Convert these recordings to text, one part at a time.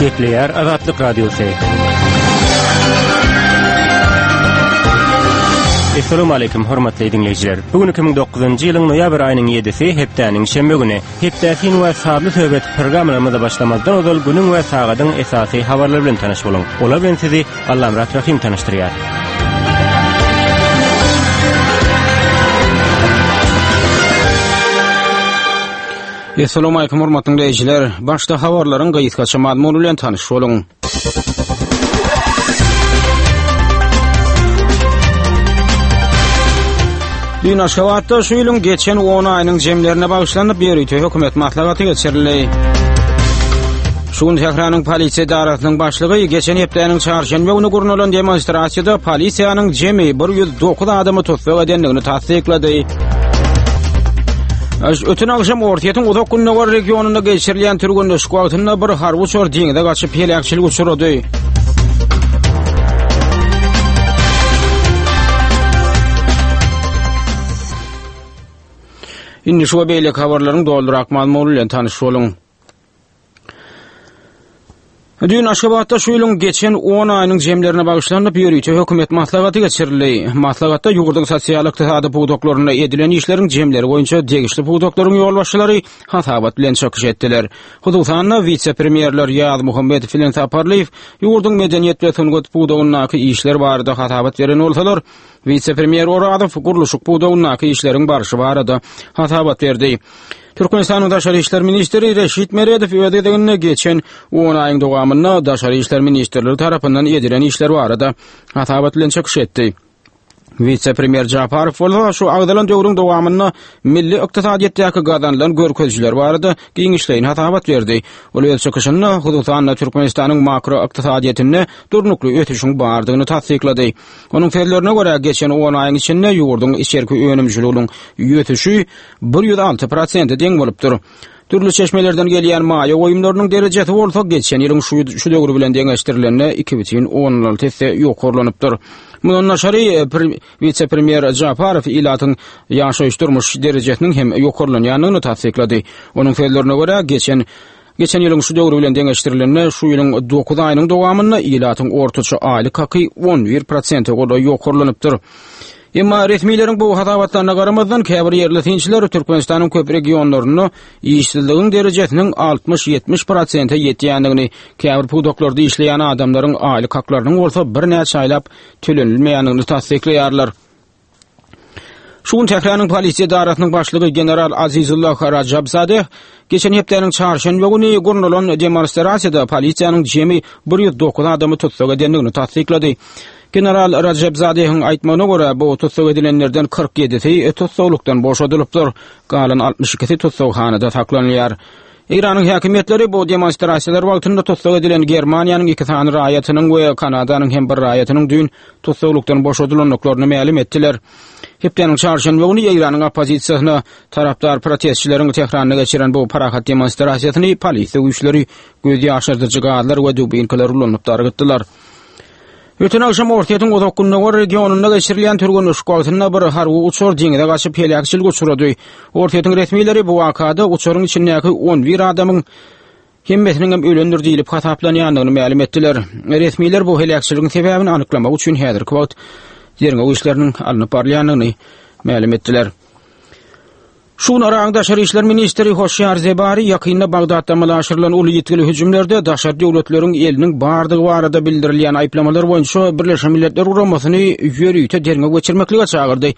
Gepleýär Azatlyk Radiosy. Assalamu alaykum hormatly diňleýjiler. Bu gün 2009-njy ýylyň noýabr aýynyň 7-si, hepdäniň şenbe güni. Hepdä syn we sazly söhbet programmalarymyza başlamazdan ozal günüň we sagadyň esasy habarlary bilen tanyş boluň. Olar bilen sizi Allamyrat Rahym tanyşdyrýar. Assalamualaikum hormatly diňleýjiler. Başda habarlaryň gysgaça mazmuny bilen tanyş boluň. Düýn Aşgabatda şu ýylyň geçen 10 aýynyň jemlerine bagyşlanyp ýörite hökümet maslahaty geçirildi. Şu gün Tähranyň polisiýa edarasynyň başlygy geçen hepdäniň çarşenbe güni gurnalan demonstrasiýada polisiýanyň jemi 109 adamy tussag edendigini tassyklady. Öten agşam Orsýetiň Uzak Gündogar regionynda geçirilýän türgenleşik wagtynda bir harby uçar deňize gaçyp heläkçilik uçrady. Indi şu we beýleki habarlaryň dolurak mazmuny bilen tanyş boluň. Düýn Aşgabatda şu ýylyň geçen 10 aýynyň jemlerine bagyşlanyp ýörite hökümet maslahaty geçirildi. Maslahatda ýurduň sosial-ykdysady pudaklarynda edilen işleriň jemleri boýunça degişli pudaklaryň ýolbaşçylary hasabat bilen çykyş etdiler. Hususan-da, wise-premýerler Ýazmuhammedow bilen Saparlyýew ýurduň medeniýet we sungat pudagyndaky işler barada hasabat beren bolsalar, wise-premýer Orazow gurluşyk pudagyndaky işleriň barşy barada hasabat berdi. Türkmenistanyň Daşary işler ministri Reşit Meredow öz gezeginde geçen on aýyň dowamynda Daşary işler ministrligi tarapyndan edilen işler barada hasabat bilen çykyş etdi. Wise-premýer Japarow bolsa şu agzalan döwrüň dowamynda milli ykdysadyýetdäki gazanylan görkezijiler barada giňişleýin hasabat berdi. Ol öz çykyşynda, hususan-da, Türkmenistanyň makroykdysadyýetinde durnukly ösüşiň bardygyny tassyklady. Onuň sözlerine görä, geçen on aýyň içinde ýurduň içerki önümçiliginiň ösüşi 106 prosente deň bolupdyr. Dürli çeşmelerden gelýän maýa goýumlarynyň derejesi bolsa geçen ýylyň şu, şu döwri bilen deňeşdirilende 2,16 esse ýokarlanypdyr. Mundan daşary, wise-premýer Japarow ilatyň ýaşaýyş-durmuş derejesiniň hem ýokarlanýandygyny tassyklady. Onuň sözlerine görä, geçen Geçen ýylyň şu döwri bilen deňeşdirilende, şu ýylyň dokuz aýynyň dowamynda ilatyň ortaça aýlyk haky 11 prosente golaý ýokarlanypdyr. Emma resmileriň bu hasabatlaryna garamazdan, käbir ýerli synçylar Türkmenistanyň köp regionlarynda işsizligiň derejesiniň 60-70 prosente ýetýändigini, käbir pudaklarda işleýän adamlaryň aýlyk haklarynyň bolsa birnäçe aýlap tölenilmeýändigini tassyklaýarlar. Şu gün Tähranyň polisiýa edarasynyň başlygy general Azizullah Rajabzadeh geçen hepdäniň çarşenbe güni gurnalan demonstrasiýada polisiýanyň jemi 109 adamy tussag edendigini tassyklady. General Rajabzadehiň aýtmagyna görä, bu tussag edilenlerden 47-si tussaglykdan boşadylypdyr, galan 62-si tussaghanada saklanylýar. Eýranyň häkimiýetleri bu demonstrasiýalar wagtynda tussag edilen Germaniýanyň iki sany raýatynyň we Kanadanyň hem bir raýatynyň düýn tussaglykdan boşadylandyklaryny mälim etdiler. Hepdäniň çarşenbe güni Eýranyň oppozisiýasyna tarapdar protestçileriň Tähranda geçiren bu parahat demonstrasiýasyny polisiýa güýçleri göz ýaşardyjy gazlar we dubinkalar ulanyp dargytdylar. Öten agşam Orsýetiň Uzak Gündogar regionynda geçirilýän türgenleşik wagtynda bir harby uçar deňize gaçyp heläkçilige uçrady. Orsýetiň resmileri bu wakada uçaryň içindäki 11 adamyň hemmesiniň hem ölendir diýlip hasaplanýandygyny mälim etdiler. Resmiler bu heläkçiligiň sebäbini anyklamak üçin häzirki wagt derňew işleriniň alnyp barylýandygyny mälim etdiler. Şu gün Yragyň daşary işler ministri Hoşýar Zebari ýakynda Bagdatda amala aşyrylan uly ýitgili hüjümlerde daşary döwletleriň eliniň bardygy barada bildirilýän aýyplamalar boýunça Birleşen Milletler Guramasyny ýörite derňew geçirmeklige çagyrdy.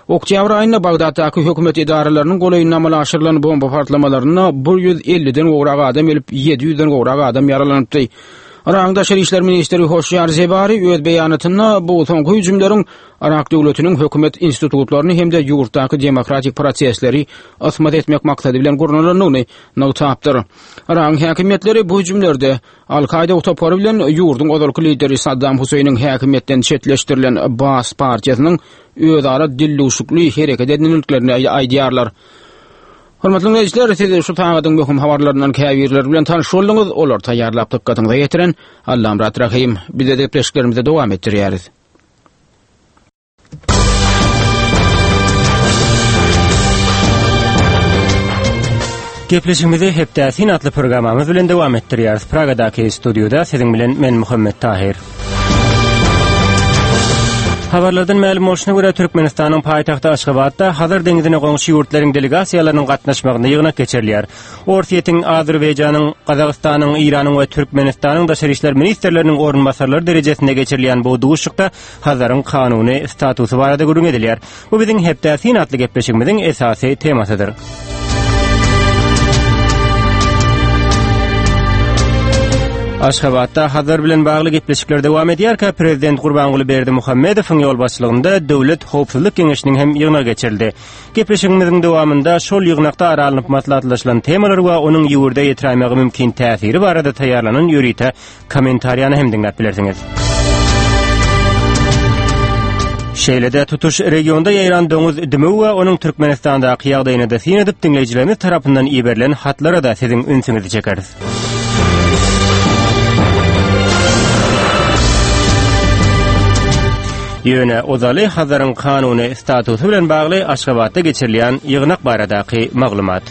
Oktýabr aýynda Bagdatdaky hökümet edaralarynyň golaýynda amala aşyrylan bomba partlamalarynda 150-den gowrak adam ölüp, 700-den gowrak adam ýaralanypdy. Yragyň daşary işler ministri Hoşýar Zebari öz beýanatynda bu soňky hüjümleriň Yrak döwletiniň hökümet institutlaryny hem-de ýurtdaky demokratik prosesleri ysmaz etmek maksady bilen gurnalandygyny nygtapdyr. Yragyň häkimiýetleri bu hüjümlerde Al-Kaýda topary bilen ýurduň ozalky lideri Saddam Huseýniň häkimiýetden çetleşdirilen Baas partiýasynyň özara dildüwşükli hereket edendiklerini aýdýarlar. Hormatly diňleýjiler, siz şu sagadyň möhüm habarlaryndan käbirleri bilen tanyş bolduňyz. Olary taýýarlap dykgatyňyza ýetiren Allamyrat Rahym. Biz gepleşiklerimizi dowam etdirýäris. Gepleşigimizi Hepdä syn atly programmamyz bilen dowam etdirýäris. Pragadaky studiýada siziň bilen men Muhammet Tahyr. Habarlardan mälim bolşuna görä, Türkmenistanyň paýtagty Aşgabatda Hazar deňzine goňşy ýurtlaryň delegasiýalarynyň gatnaşmagynda ýygnak geçirilýär. Orsýetiň, Azerbaýjanyň, Gazagystanyň, Eýranyň we Türkmenistanyň daşary işler ministrleriniň orunbasarlary derejesinde geçirilýän bu duşuşykda Hazaryň kanuny statusy barada gürrüň edilýär. Bu biziň Hepdä syn atly gepleşigimiziň esasy temasydyr. Aşgabatda Hazar bilen bagly gepleşikler dowam edýärkä, prezident Gurbanguly Berdimuhamedowyň ýolbaşçylygynda Döwlet howpsuzlyk geňeşiniň hem ýygnagy geçirildi. Gepleşigimiziň dowamynda şol ýygnakda ara alnyp maslahatlaşylan temalar we onuň ýurda ýetiräýmegi mümkin täsiri barada taýýarlanan ýörite kommentariýany hem diňläp bilersiňiz. Şeýle-de tutuş regionda ýaýran doňuz dümew we onuň Türkmenistandaky ýagdaýyna-da syn edip, diňleýjilerimiz tarapyndan iberilen hatlara-da siziň ünsüňizi çekeris. Ýöne ozaly Hazaryň kanuny statusy bilen bagly Aşgabatda geçirilýän ýygnak baradaky maglumat.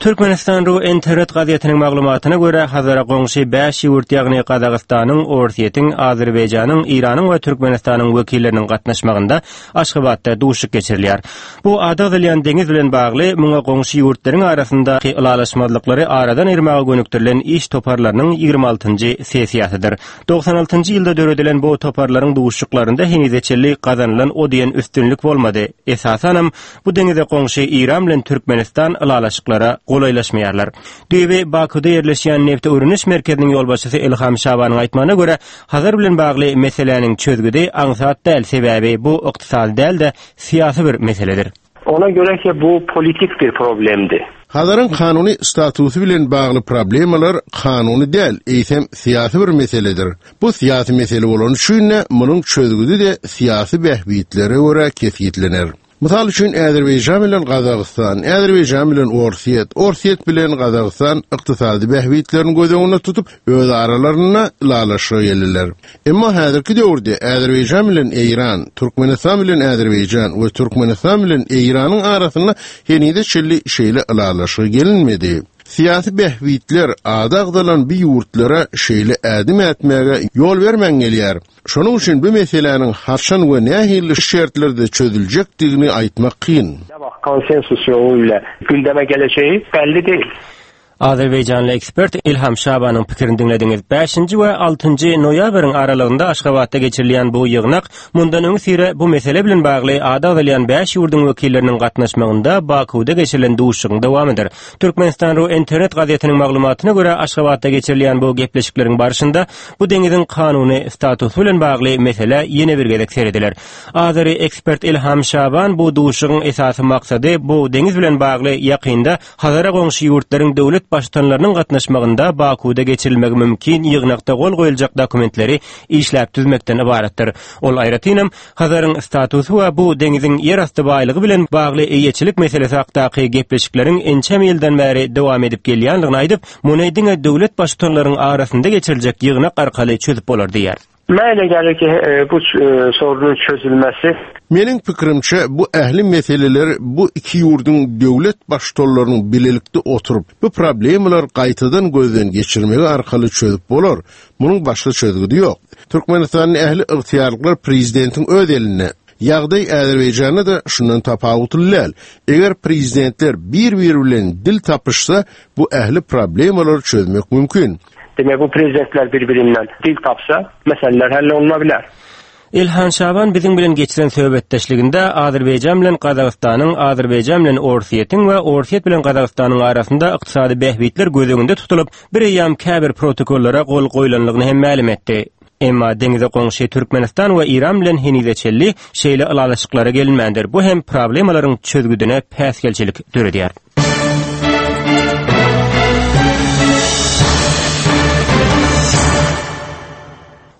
Türkmenistan ru internet gazetiniň maglumatyna görä, Hazara goňşy bäş ýurt, ýagny Gazagystanyň, Orsýetiň, Azerbaýjanyň, Eýranyň we Türkmenistanyň wekilleriniň gatnaşmagynda Aşgabatda duşuşyk geçirilýär. Bu ady agzalýan deňiz bilen bagly muňa goňşy ýurtlaryň arasyndaky ylalaşmazlyklary aradan aýyrmaga gönükdirilen iş toparlarynyň ýigrimi altynjy sessiýasydyr. 96-njy ýylda döredilen bu toparlaryň duşuşyklarynda henize çenli gazanylan o diýen üstünlik bolmady. Esasanam, bu deňize goňşy Eýran bilen Türkmenistan ylalaşyklara golaýlaşmaýarlar. Düýbi Bakuda ýerleşýän nebti öwreniş merkeziniň ýolbaşçysy Ilham Şabanyň aýtmagyna görä, Hazar bilen bagly meseläniň çözgüdi aňsat däl, sebäbi bu ykdysady däl-de, syýasy bir meseledir. Ona göre ki bu politik bir problemdi. Hazaryň kanuny statusy bilen bagly problemalar kanuny däl, eýsem syýasy bir meseledir. Bu syýasy mesele bolany üçin-de, munuň çözgüdi-de syýasy bähbitlere görä kesgitlener. Mysal üçin, Azerbaýjan bilen Gazagystan, Azerbaýjan bilen Orsýet, Orsýet bilen Gazagystan ykdysady bähbitlerini göz öňünde tutup, öz aralarynda ylalaşyga geldiler. Emma häzirki döwürde Azerbaýjan bilen Eýran, Türkmenistan bilen Azerbaýjan we Türkmenistan bilen Eýranyň arasynda henize çenli şeýle ylalaşyga gelinmedi. Syýasy bähbitler ady agzalan bu ýurtlara şeýle ädim ätmäge ýol bermän gelýär. Şonuň üçin bu meseläniň haçan we nähili şertlerde çözüljekdigini aýtmak kyn. Konsensus ýoly ile gündeme gelejegi belli değil. Azerbaýjanly ekspert Ilham Şabanyň pikirini diňlediňiz. Bäşinji we altynjy noýabryň aralygynda Aşgabatda geçirilýän bu ýygnak mundan öňüsyra bu mesele bilen bagly ady agzalýan bäş ýurduň wekilleriniň gatnaşmagynda Bakuwda geçirilen duşuşygyň dowamydyr. Türkmenistan ru internet gazetiniň maglumatyna görä, Aşgabatda geçirilýän bu gepleşikleriň barşynda bu deňiziň kanuny statusy bilen bagly meselä ýene bir gezek serediler. Azeri ekspert Ilham Şaban bu duşuşygyň esasy maksady bu deňiz bilen bagly ýakynda Hazara goňşy ýurtlaryň döwlet baştutanlarynyň gatnaşmagynda Bakuwda geçirilmegi mümkin ýygnakda gol goýuljak dokumentleri işläp düzmekden ybaratdyr. Ol aýratynam, Hazaryň statusy we bu deňiziň ýerasty baýlygy bilen bagly eýeçilik meselesi hakdaky gepleşikleriň ençeme ýyldan bäri dowam edip gelýändigini aýdyp, muny diňe döwlet Baştutanlaryň arasynda geçiriljek ýygnak arkaly çözüp bolar diýýär. Mənə elə gəlir ki, bu sorunun çözülməsi. Meniň pikirimçe, bu ähli meseleler bu iki ýurduň döwlet Baştutanlarynyň bilelikde oturyp, bu problemalary gaýtadan gözden geçirmegi arkaly çözüp bolar. Munuň başga çözgüdi ýok. Türkmenistanda ähli ygtyýarlyklar prezidentiň öz elinde. Ýagdaý Azerbaýjanda-da şundan tapawutly däl. Eger prezidentler bir-biri bilen dil tapyşsa, bu ähli problemalary çözmek mümkin. Demek bu prezidentler bir-birinden dil tapsa, meseleler hell oluna biler. Ilhan Şaban biziň bilen geçiren söhbetdeşliginde Azerbaýjan bilen Gazagystanyň, Azerbaýjan bilen Orsýetiň we Orsýet bilen Gazagystanyň arasynda ykdysady bähbitler göz öňünde tutulyp, bireýýäm käbir protokollara gol goýlanlygyny hem mälim etdi. Emma deňize goňşy Türkmenistan we Eýran bilen henize çenli şeýle ylalaşyklara gelinmändir, bu hem problemalaryň çözgüdine päsgelçilik döredýär.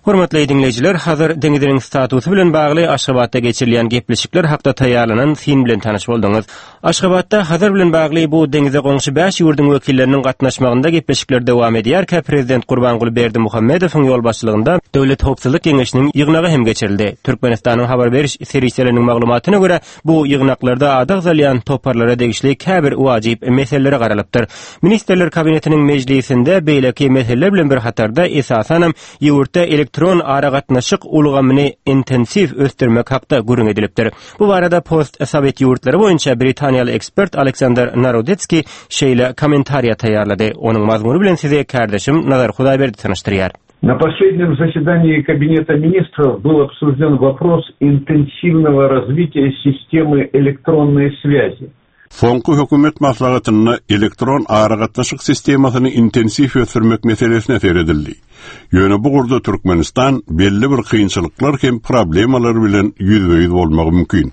Hormatly diňleýjiler, Hazar deňziniň statusy bilen bagly Aşgabatda geçirilýän gepleşikler hakda taýýarlanan syn bilen tanyş bolduňyz. Aşgabatda Hazar bilen bagly bu deňize goňşy bäş ýurduň wekilleriniň gatnaşmagynda gepleşikler dowam edýärkä, prezident Gurbanguly Berdimuhamedowyň ýolbaşçylygynda Döwlet howpsuzlyk geňeşiniň ýygnagy hem geçirildi. Türkmenistanyň habar beriş serişdeleriniň maglumatyna görä, bu ýygnaklarda ady agzalýan toparlara degişli käbir wajyp meselelere garalypdyr. Ministrler Kabinetiniň mejlisinde beýleki meseleler bilen bir hatarda, esasanam, ýurtda elektron aragatnaşyk ulgamyny intensiw ösdürmek hakda gürrüň edilipdir. Bu barada post-sowet ýurtlary boýunça britaniýaly ekspert Aleksandr Narodetskiý şeýle kommentariýa taýýarlady. Onuň mazmuny bilen sizi kärdeşim Nazar Hudaýberdi tanyşdyrýar. На последнем заседании Кабинета министров был обсужден вопрос интенсивного развития системы электронной связи. Soňky hökümet maslahatynda elektron aragatnaşyk sistemasyny intensiw ösdürmek meselesine seredildi. Ýöne bu ugurda Türkmenistan belli bir kynçylyklar hem problemalar bilen ýüzbe-ýüz bolmagy mümkin.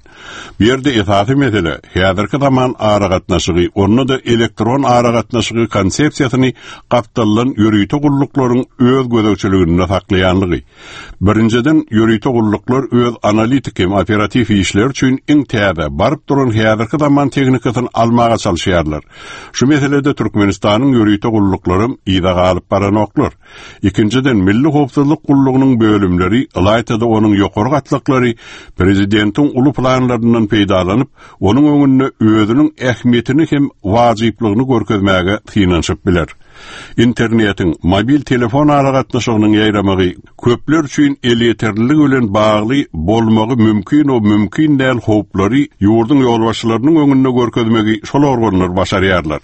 Bu ýerde esasy mesele, häzirki zaman aragatnaşygy, onda-da elektron aragatnaşygy konsepsiýasyny gapdaldan ýörite gulluklaryň öz gözegçiliginde saklaýanlygy. Birinjiden, ýörite gulluklar öz analitik hem operatiw işleri üçin iň täze, baryp duran häzirki zaman tehnikasyny almaga çalyşýarlar. Şu meselede Türkmenistanyň ýörite gulluklaram yza galyp baranoklar. Ikinjiden, Milli howpsuzlyk gullugynyň bölümleri, ylaýta-da onuň ýokary gatlaklary prezidentiň uly planlaryndan peýdalanyp, onuň öňünde özüniň ähmiýetini hem wajyplygyny görkezmäge synanyşyp biler. Internetiň, mobil telefon aragatnaşygynyň ýaýramagy köpler üçin elýeterliligi bilen bagly bolmagy mümkin-u mümkin däl howplary ýurduň ýolbaşçylarynyň öňünde görkezmegi şol organlar başarýarlar.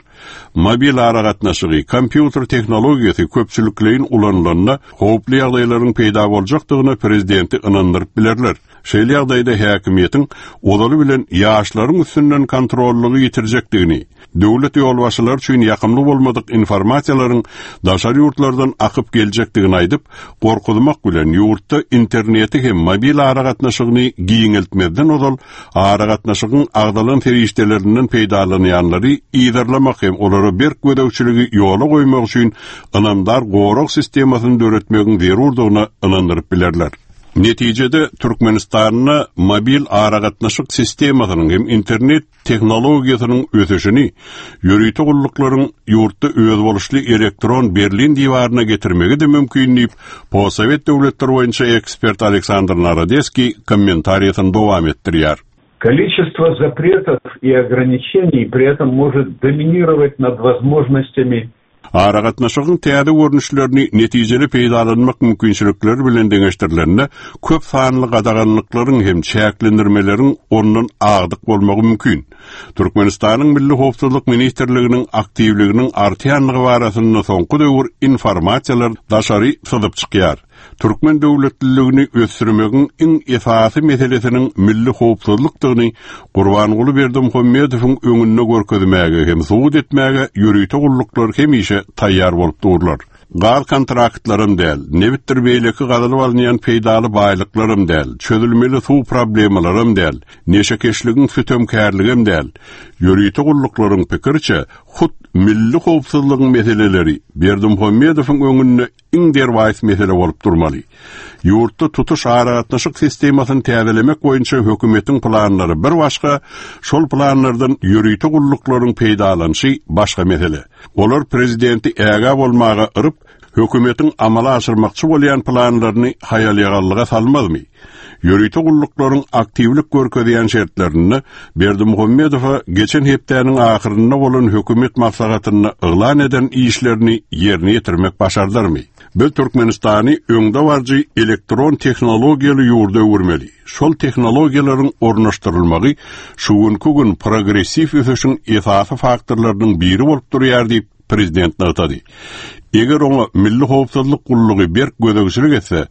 Mobil aragatnaşygy, kompýuter tehnologiýasy köpçülikleýin ulanylanda howply ýagdaýlaryň peýda boljakdygyna prezidenti ynandyryp bilerler. Şeýle ýagdaýda häkimiýetiň ozaly bilen ýaşlaryň üstünden kontrollygy ýitirjekdigini, döwlet ýolbaşçylary üçin ýakymly bolmadyk informasiýalaryň daşary ýurtlardan akyp geljekdigini aýdyp, gorkuzmak bilen ýurtda interneti hem mobil aragatnaşygyny giňeltmezden ozal aragatnaşygyň agzalan serişdelerinden peýdalanýanlary yzarlamak hem olara berk gözegçiligi ýola goýmak üçin ynamdar gorag sistemasyny döretmegiň zerurdygyna ynandyryp bilerler. Netijede, Türkmenistanda mobil aragatnaşyk sistemasynyň hem internet tehnologiýasynyň ösüşini ýörite gulluklaryň ýurtda özboluşly elektron Berlin diwaryna getirmegi-de mümkin diýip, postsowet döwletleri boýunça ekspert Aleksandr Narodeskiý kommentariýasyny dowam etdirýär. Количество запретов и ограничений при этом может доминировать над возможностями Aragatnaşygyň täze görnüşlerini netijeli peýdalanmak mümkinçilikleri bilen deňeşdirilende, köp sanly gadaganlyklaryň hem çäklendirmeleriň ondan agdyk bolmagy mümkin. Türkmenistanyň Milli howpsuzlyk ministrliginiň aktiwliginiň artýanlygy barasynda soňky döwür informasiýalar daşary syzyp çykýar. Türkmen döwletliligini ösdürmegiň iň esasy meselesiniň milli howpsuzlykdygyny Gurbanguly Berdimuhamedowyň öňünde görkezmäge hem subut etmäge ýörite gulluklar hemişe taýýar bolup durlar. Gaz kontraktlaram däl, nebitdir beýleki gazylyp alynýan peýdaly baýlyklaram däl, çözülmeli suw problemalaram däl, neşekeşligiň sütemkärligem däl. Ýörite gulluklaryň pikiriçe, hut milli howpsuzlygyň meseleleri Berdimuhamedowyň öňünde iň derwaýys mesele bolup durmaly. Ýurtda tutuş aragatnaşyk sistemasyny täzelemek boýunça hökümetiň planlary bir başga, şol planlardan ýörite gulluklaryň peýdalanyşy başga mesele. Olar prezidenti ägä bolmaga yryp, hökümetiň amala aşyrmakçy bolýan planlaryny haýal-ýagallyga salmazmy? Ýörite gulluklaryň aktiwlik görkezýän şertlerinde Berdimuhamedowa geçen hepdäniň ahyrynda bolan hökümet maslahatynda yglan eden işlerini ýerine ýetirmek başardarmy? Biz Türkmenistany öňdebaryjy elektron tehnologiýaly ýurda öwürmeli. Şol tehnologiýalaryň ornaşdyrylmagy şu günki gün progressiw ösüşiň esasy faktorlarynyň biri bolup durýar diýip, prezident nygtady. Eger oňa Milli howpsuzlyk gullugy berk gözegçilik etse,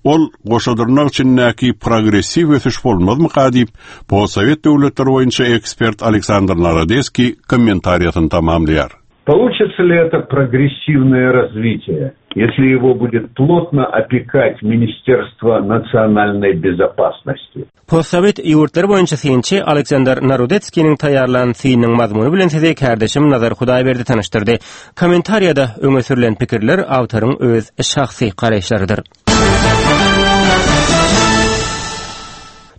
ol goşa dyrnak içindäki progressiw ösüş bolmazmyka diýip, postsowet döwletleri boýunça ekspert Aleksandr Narodeskiý kommentariýasyny tamamlaýar. Получится ли это прогрессивное развитие, если его будет плотно опекать Министерство национальной безопасности? Postsowet ýurtlary boýunça synçy Aleksandr Narodetskiniň taýýarlan synynyň mazmuny bilen sizi kärdeşim Nazar Hudaýberdi tanyşdyrdy. Kommentariýada öňe sürlen pikirler awtoryň öz şahsy garaýyşlarydyr.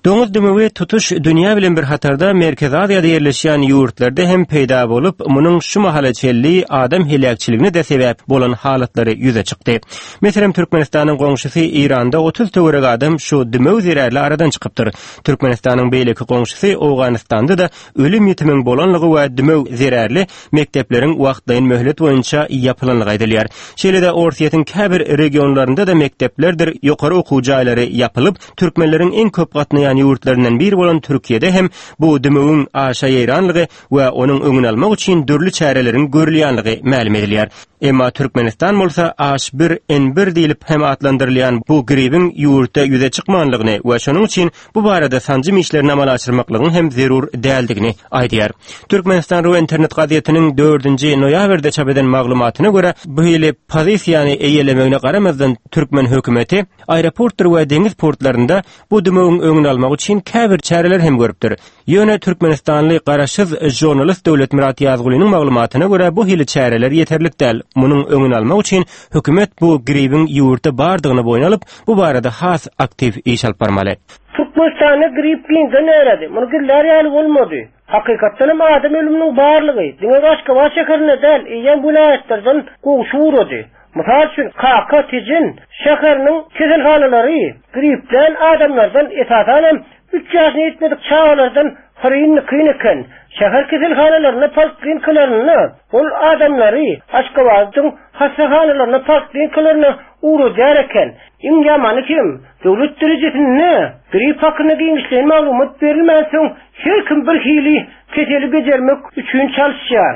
Doňuz dümewi tutuş dünýä bilen bir hatarda Merkezi Aziýada ýerleşýän ýurtlarda hem peýda bolup, munuň şu mahala çenli adam heläkçiligine-de sebäp bolan halatlary ýüze çykdy. Meselem, Türkmenistanyň goňşusy Eýranda 30 töweregi adam şu dümew zerarly aradan çykypdyr. Türkmenistanyň beýleki goňşusy Owganystanda-da ölüm-ýitimiň bolanlygy we dümew zerarly mekdepleriň wagtlaýyn möhlet boýunça ýapylanlygy aýdylýar. Şeýle-de Orsýetiň käbir regionlarynda-da mekdeplerdir ýokary okuw jaýlary ýapylyp, türkmenleriň iň köp gatnaýan ýurtlaryndan biri bolan Türkiýede hem bu dümewiň aşa ýaýranlygy we onuň öňüni almak üçin dürli çäreleriň görülýänligi mälim edilýär. Emma Türkmenistan bolsa H1N1 diýlip hem atlandyrylýan bu gribiň ýurtda ýüze çykmanlygyny we şonuň üçin bu barada sanjym işlerini amala aşyrmaklygyň hem zerur däldigini aýdýar. Türkmenistan ru internet gazetiniň dördünji noýabrda çap eden maglumatyna görä, bu hili pozisiýany eýelemegine garamazdan türkmen hökümeti aeroportdyr we deňiz portlarynda bu dümewiň öňüni almak üçin käbir çäreler hem görüpdir. Ýöne türkmenistanly garaşsyz žurnalist Döwletmyrat Ýazgulynyň maglumatyna görä bu hili çäreler ýeterlik däl. Munuň öňüni almak üçin hökümet bu gribiň ýurtda bardygyny boýun alyp, bu barada has aktiw iş alyp barmaly. Türkmenistanda grip giňden ýaýrady. Muny gizlär ýaly bolmady. Hakykatdan hem adam ölüminiň barlygy diňe Aşgabat şäherinde däl, eýýäm welaýatlardan gowşup ugrady. Mysal üçin, Kaka, Tejen şäheriniň keselhanalary griplän adamlardan, esasan hem üç ýaşyna ýetmedik çagalardan hyryn-dykyn eken. Şäher keselhanalarynda, poliklinikalarynda ol adamlary Aşgabadyň hassahanalaryna, poliklinikalaryna ugradýar eken. Iň ýamany hem, döwlet derejesinde grip hakynda giňişleýin maglumat berilmänsoň, her kim bir hili keseli bejermek üçin çalyşýar.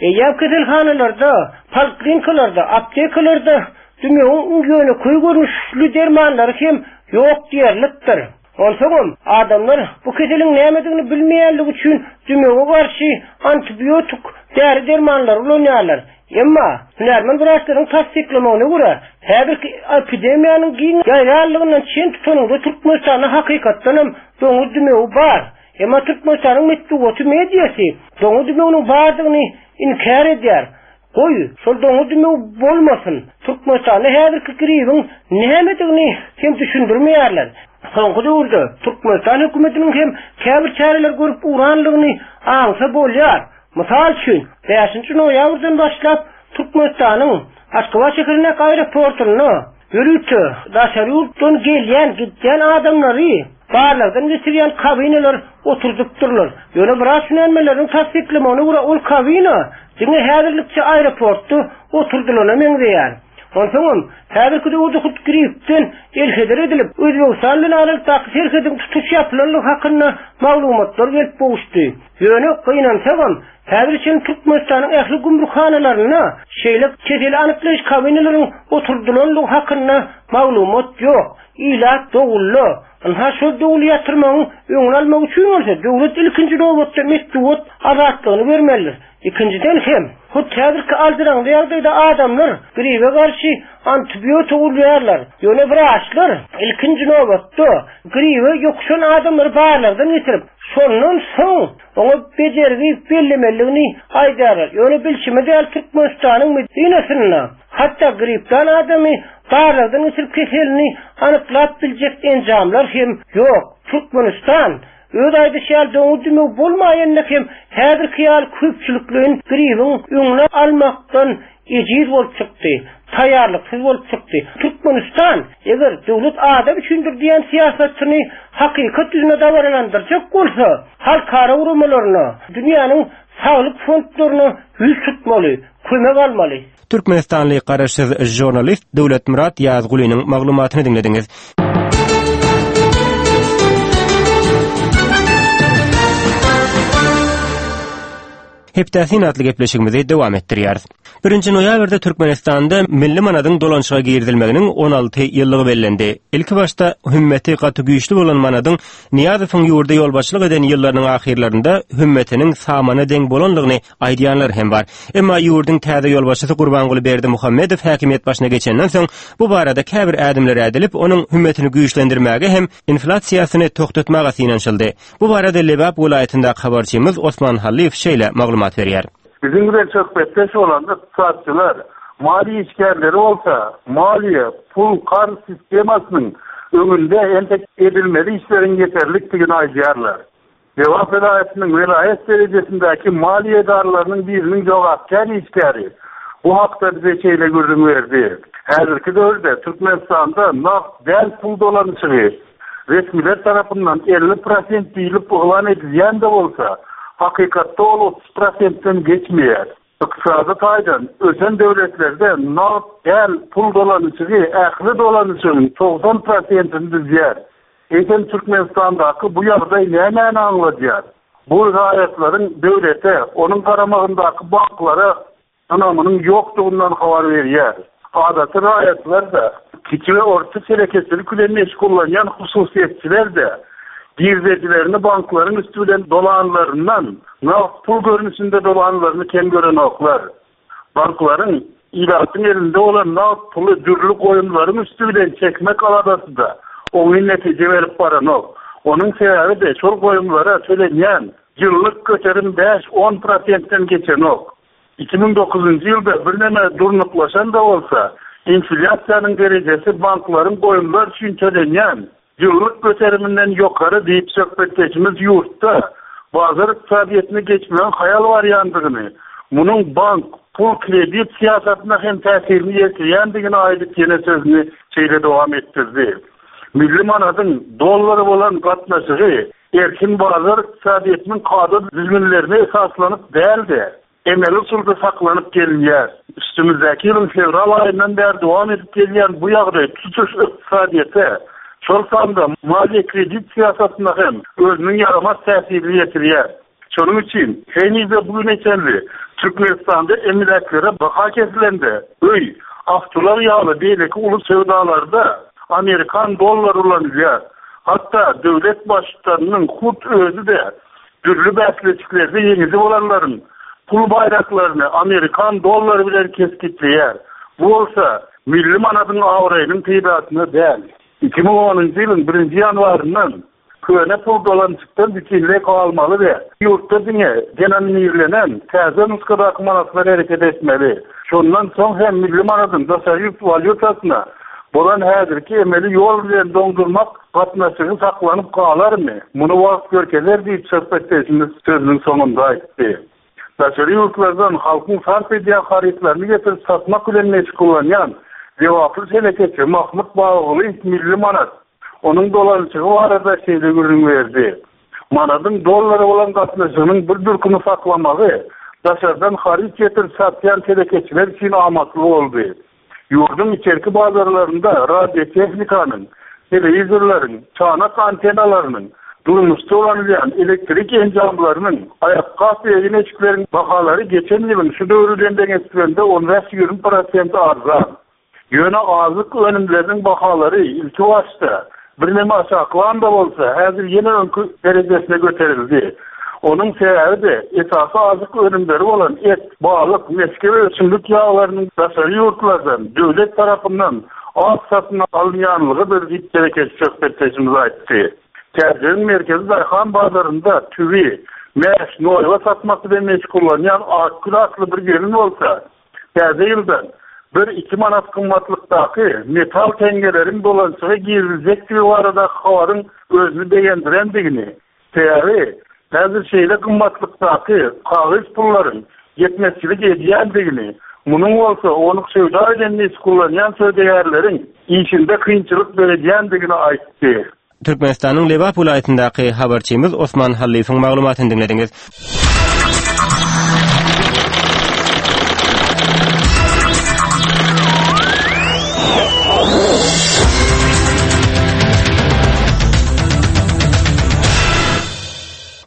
Eýýäm keselhanalarda, poliklinikalarda, aptekalarda dümewiň iň ýönekeý görnüşli dermanlary hem ýok diýerlikdir. Onsoňam, adamlar bu keseliň nämedigini bilmeýänligi üçin dümewe garşy antibiotik däri-dermanlary ulanýarlar. Emma, hünärmen wraçlaryň tassyklamagyna görä, häzirki epidemiýanyň giň ýaýranlygyndan çen tutanyňda Türkmenistanda hakykatdanam doňuz dümewi bar. Emma Türkmenistanyň metbugaty, mediasy doňuz dümewiniň bardygyny inkär edýär. Goý, şol doňuz dümew bolmasyn. Türkmenistanda häzirki gribiň nämedigini hem düşündirmeýärler. Soňky döwürde Türkmenistan hökümetiniň hem käbir çäreler görüp ugranlygyny aňsa bolýar. Mysal üçin, bäşinji noýabrdan başlap Türkmenistanyň Aşgabat şäherindäki aeroportunda ýörite daşary ýurtdan gelýän, gidýän adamlary barlagdan geçirýän kabinalar oturdypdyrlar. Ýöne biraz hünärmenleriň tassyklamagyna görä ol kabina diňe häzirlikçe aeroportda oturdylana meňzeýär. Onsoňam, häzirki döwürde hut gripden elheder edilip, Özbegistan bilen aralykdaky serhediň tutuş ýapylandygy hakynda maglumatlar gelip gowuşdy. Ýöne, gynansagam, häzire çenli Türkmenistanyň ähli gümrükhanalarynda şeýle keseli anyklaýyş kabinalaryň oturdylandygy hakynda maglumat ýok. Ilat dowulda. Ynha, şol dowuly ýatyrmagyň öňüni almak üçin bolsa, döwlet ilkinji nobatda metbugat azatlygyny bermelidir. Ikinjiden hem, hut häzirki aljyraňly ýagdaýda adamlar gribe garşy antibiotik urýarlar. Ýöne wraçlar ilkinji nobatda gribe ýokuşan adamlary barlagdan geçirip, şondan soň oňa bejergi bellemelidigini aýdýarlar. Ýöne bilşimiz ýaly Türkmenistanyň medinasynda hatda gripdan adamy barlagdan geçirip keselini anyklap biljek enjamlar hem ýok. Türkmenistan Öz aýdyşy ýaly doňuz dümew bolmaýanda hem häzirki ýaly köpçülikleýin gribiň öňüni almakdan ejiz bolup çykdy, taýýarlyksyz bolup çykdy. Türkmenistan, eger döwlet adam üçindir diýen syýasatyny hakykat ýüzünde dabaralandyrjak bolsa, halkara guramalaryna, dünýäniň saglyk fondlaryna ýüz tutmaly, kömek almaly. Türkmenistanly garaşsyz žurnalist Döwletmyrat Ýazgulynyň maglumatyny diňlediňiz. Hepdäsin atly gepleşigimizi dowam etdirýäris. Birinji noýabrda Türkmenistanda milli manadyň dolanyşyga girizilmeginiň 16 ýyllygy bellendi. Ilkibaşda hümmeti gaty güýçli bolan manadyň Nyýazowyň ýurda ýolbaşçylyk eden ýyllarynyň ahyrlarynda hümmetiniň samana deň bolanlygyny aýdýanlar hem bar. Emma ýurduň täze ýolbaşçysy Gurbanguly Berdimuhamedow häkimiýet başyna geçenden soň, bu barada käbir ädimler ädilip, onuň hümmetini güýçlendirmäge hem inflýasiýasyny togtatmaga synanyşyldy. Bu barada Lebap welaýatyndaky habarçymyz Osman Hallyýew şeýle maglumat berýär. Biziň bilen söhbetdeş bolan ykdysatçylar, maliýe işgärleri bolsa maliýe, pul, karz sistemasynyň. öňünde entek edilmeli işleriň ýeterlikdigini aýdýarlar. Lebap welaýatynyň welaýat derejesindäki maliýe edaralarynyň biriniň jogapkär işgäri bu hakda bize şeýle gürrüň berdi, Häzirki döwürde Türkmenistanda nagt däl pul dolanyşygy resmiler tarapyndan 50 prosent diýlip yglan edilýän-de bolsa, hakykatda ol 30 prosentden geçmeýär. Ykdysady taýdan ösen döwletlerde nagt däl pul dolanyşygy ähli dolanyşygyň 90 prosentini düzýär. Eýsem Türkmenistandaky bu ýagdaý nämäni aňladýar? Bu raýatlaryň döwlete, onuň garamagyndaky banklara ynamynyň ýokdugyndan habar berýär. Adaty raýatlar-da, kiçi we orta telekeçilik bilen meşgullanýan hususyýetçiler-de girdejilerini banklaryň üsti bilen dolanlaryndan nagt pul görnüşinde dolanlaryny kem görenoklar. Banklaryň ilatyň elinde bolan nagt puly dürli goýumlaryň üsti bilen çekmek aladasy-da oňyn netije berip baranok. Onuň sebäbi-de şol goýumlara tölenýän ýyllyk göterim bäş-on prosentden geçenok. 2009-njy ýylda birneme durnuklaşan-da bolsa, inflýasiýanyň derejesi banklaryň goýumlar üçin tölenýän Ýyllyk göteriminden ýokary diýip, söhbetdeşimiz ýurtda bazar ykdysadyýetine geçmegiň haýal barýandygyny, munuň bank, pul-kredit syýasatyna hem täsirini ýetirýändigini aýdyp ýene sözüni şeýle dowam etdirdi, Milli manadyň dollara bolan gatnaşygy erkin bazar ykdysadyýetiniň kada-düzgünlerine esaslanyp däl-de, Emeli usulda saklanyp gelinýär. Üstümizdäki ýylyň fewral aýyndan bäri dowam edip gelýän bu ýagdaý tutuş ykdysadyýete, şol sanda maliýe-kredit syýasatyna hem özüniň ýaramaz täsirini ýetirýär. Şonuň üçin henize bu güne çenli Türkmenistanda emläklere baha kesilende, öý, awtoulag ýaly beýleki uly söwdalarda amerikan dollary ulanylýar. Hatda döwlet Baştutanynyň hut özi-de Dürli bäsleşiklerde ýeňiji bolanlaryň pul baýraklaryny amerikan dollary bilen kesgitleýär. Bu bolsa milli manadyň abraýynyň peýdasyna däl. 2010-njy ýylyň birinji ýanwaryndan köne pul dolanyşykdan bütinleý galmaly we ýurtda diňe denominirlenen täze nusgadaky manatlar hereket etmeli. Şondan soň hem milli manadyň daşary ýurt walýutasyna bolan häzirki emeli ýol bilen doňdurmak Gatnaşygy saklanyp galarmy? Muny wagt görkezer diýip, söhbetdeşimiz sözüniň soňunda aýtdy. Daşary ýurtlardan halkyň sarp edýän harytlaryny getirip satmak bilen meşgullanýan lebaply telekeçi Mahmyt Babagulyýew milli manat, onuň dolanyşygy barada şeýle gürrüň berdi, Manadyň dollara bolan gatnaşygynyň bir durkuny saklamagy daşardan haryt getirip satýan telekeçiler üçin amatly boldy. Ýurduň içerki bazarlarynda radiotehnikanyň, telewizorlaryň, çanak antennalarynyň, durmuşda ulanylýan elektrik enjamlarynyň, aýakgap we egin-eşikleriň bahalary geçen ýylyň şu döwri bilen deňeşdirilende on bäş-ýigrimi prosent arzan. Ýöne azyk önümleriniň bahalary ilkibaşda Birneme aşaklan-da bolsa, häzir ýene öňki derejesine göterildi. Onuň sebäbi-de, esasy azyk önümleri bolan et, balyk, mesge we ösümlik ýaglarynyň daşary ýurtlardan, döwlet tarapyndan az satyn alynýanlygydyr diýip, telekeçi söhbetdeşimiz aýtdy. Täjigiň merkezi daýhan bazarynda tüwi, mäş, noýba satmak bilen meşgullanýan Akgül atly bir gelin bolsa, Täze ýyldan bir-iki manat gymmatlykdaky metal teňňeleriň dolanyşyga giriziljekdigi baradaky habaryň özüni begendirendigini, sebäbi häzir şeýle gymmatlykdaky kagyz pullaryň ýetmezçilik edýändigini, munuň bolsa ownuk söwda bilen meşgullanýan söwdagärleriň işinde kynçylyk döredýändigini aýtdy. Türkmenistanyň Lebap welaýatyndaky habarçymyz Osman Hallyýewiň maglumatyny diňlediňiz.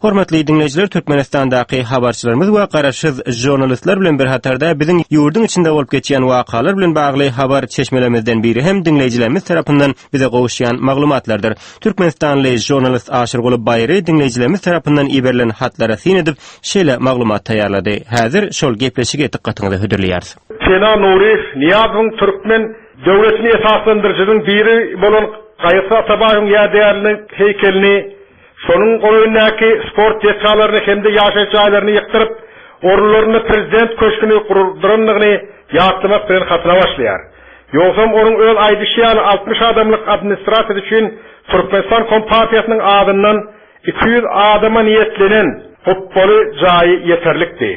Hormatly diňleýjiler, Türkmenistandaky habarçylarymyz we garaşsyz žurnalistler bilen bir hatarda biziň ýurduň içinde bolup geçýän wakalar bilen bagly habar çeşmelerimizden biri hem diňleýjilerimiz tarapyndan bize gowuşýan maglumatlardyr. Türkmenistanly žurnalist Aşyrguly Baýry diňleýjilerimiz tarapyndan iberilen hatlara syn edip, şeýle maglumat taýýarlady. Häzir şol gepleşigi dykgatyňyza hödürleýäris. Sena Nuryýew Nyýazowyň türkmen döwletini esaslandyryjynyň biri bolan Gaýgysyz Atabaýewiň ýadygärliginiň heýkelini, şonuň golaýyndaky sport desgalaryny hem-de ýaşaýyş jaýlaryny ýykdyryp, orunlarynda prezident köşgüni gurdurandygyny ýatlamak bilen hatyna başlaýar. Ýogsam onuň öz aýdyşy ýaly 60 adamlyk administrasiýasy üçin Türkmenistan Kompartiýasynyň adyndan 200 adama niýetlenen gupbaly jaýy ýeterlikdi.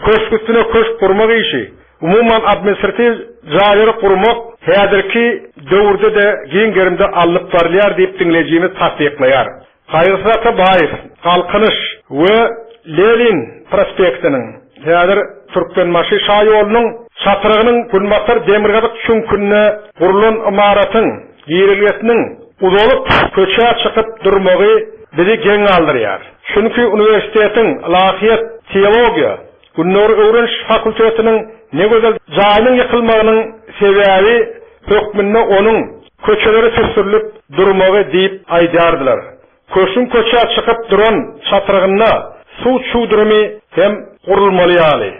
Köşk üstüne köşk gurmak işi, umuman administratiw jaýlary gurmak häzirki döwürde-de giň gerimde alnyp barylýar diýip diňleýjimiz tassyklaýar. Gaýgysyz Atabaýew, Galkynyş we Lenin prospektiniň, häzir Türkmenbaşy şaýolunyň çatrygynyň günbatar-demirgazyk çüňkünde gurlan ymaratyň girelgesiniň uzalyp köçä çykyp durmagy bizi geň galdyrýar. Çünki uniwersitetiň ylahyýet, teologiýa, Gündogar öwreniş fakultetiniň ne gözel jaýynyň ýykylmagynyň sebäbi hökmünde onuň köçelere süsdürilip durmagy diýip aýdýardylar. Köşgüň köçä çykyp duran çatrygynda suw çüwdürimi hem gurulmaly ýaly.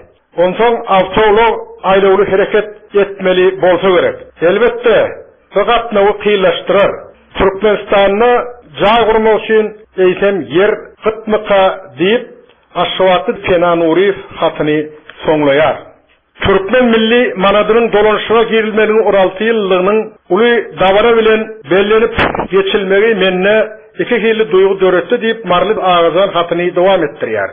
Onsoň awtoulag aýlawly hereket etmeli bolsa gerek. Elbetde, bu gatnawy kynlaşdyrar. Türkmenistanda jaý gurmak üçin eýsem ýer gytmyka diýip, Aşgabatly Pena Nuryýew hatyny soňlaýar. Türkmen milli manadynyň dolanyşyga girilmeginiň 16 ýyllygynyň uly dabara bilen bellenip geçilmegi mende iki hili duýgy döretdi diýip, Maryly Agajan hatyny dowam etdirýär.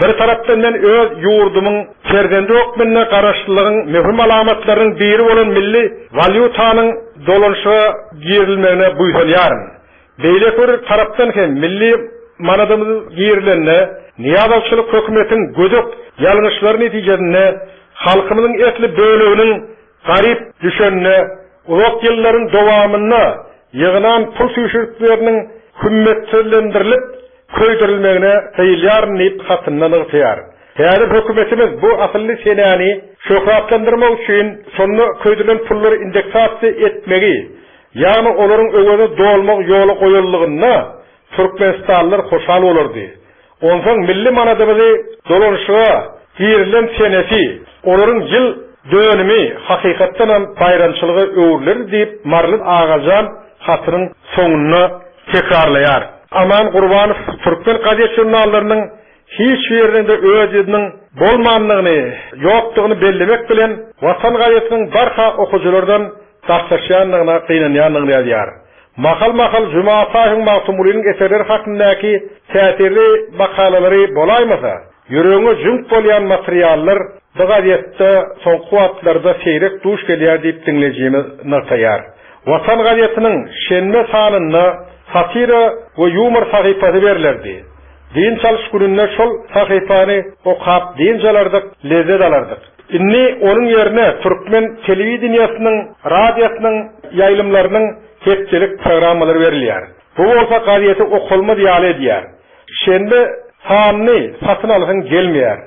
Bir tarapdan men öz ýurdumyň perzendi hökmünde garaşlylygyň möhüm alamatlarynyň biri bolan milli walýutanyň dolanyşyga girilmegine buýsanýaryn. Beýleki bir tarapdan hem milli manadymyz girilende nyýazowçylyk hökümetiň gödek ýalňyşlary netijesinde halkymyzyň esli böleginiň garyp düşenine, uzak ýyllaryň dowamynda ýygnan pul süýşürikleriniň hümmetsizlendirilip köýdürilmegine gyýylýaryn diýip hatynda nygtaýar. Häzir hökümetimiz bu asylly senäni şöhratlandyrmak üçin şonda köýdürilen pullary indeksasiýa etmegi, Ýagny olaryň öwezi dolmak ýola goýulygynda türkmenistanlylar hoşal bolardy. Onsoň milli manadymyzy dolanyşyga girilen senesi, olaryň ýyl dönümi hakykatdanam baýramçylyga öwrülerdi diýip Maryly Agajan hatynyň soňunda tekrarlaýar. Aman Gurbanow türkmen gazet-žurnallarynyň hiç biriniň-de öz ýüzüniň bolmandygyny, ýokdugyny bellemek bilen, Watan gazetiniň barha okyjylardan daşlaşýandygyna gynanýandygyny ýazýar. Mahal-mahal Juma Ataýewiň Magtymgulynyň eserleri hakyndaky täsirli makalalary bolaýmasa, ýüregiňe jüňk bolýan materiallar bu gazetde soňky wagtlarda seýrek duş gelýär diýip diňleýjimiz nygtaýar. Watan gazetiniň şenbe sanynda satira we ýumor sahypasy berlerdi. Dynç alyş gününde şol sahypany okap dynç alardyk, lezzet alardyk. Indi onuň ýerine türkmen telewideniýesiniň, radiosynyň ýaýlymlarynyň hepdelik programmalary berilýär. Bu bolsa gazeti okalmaz ýaly edýär. Şenbe sanyny satyn alasyň gelmeýär.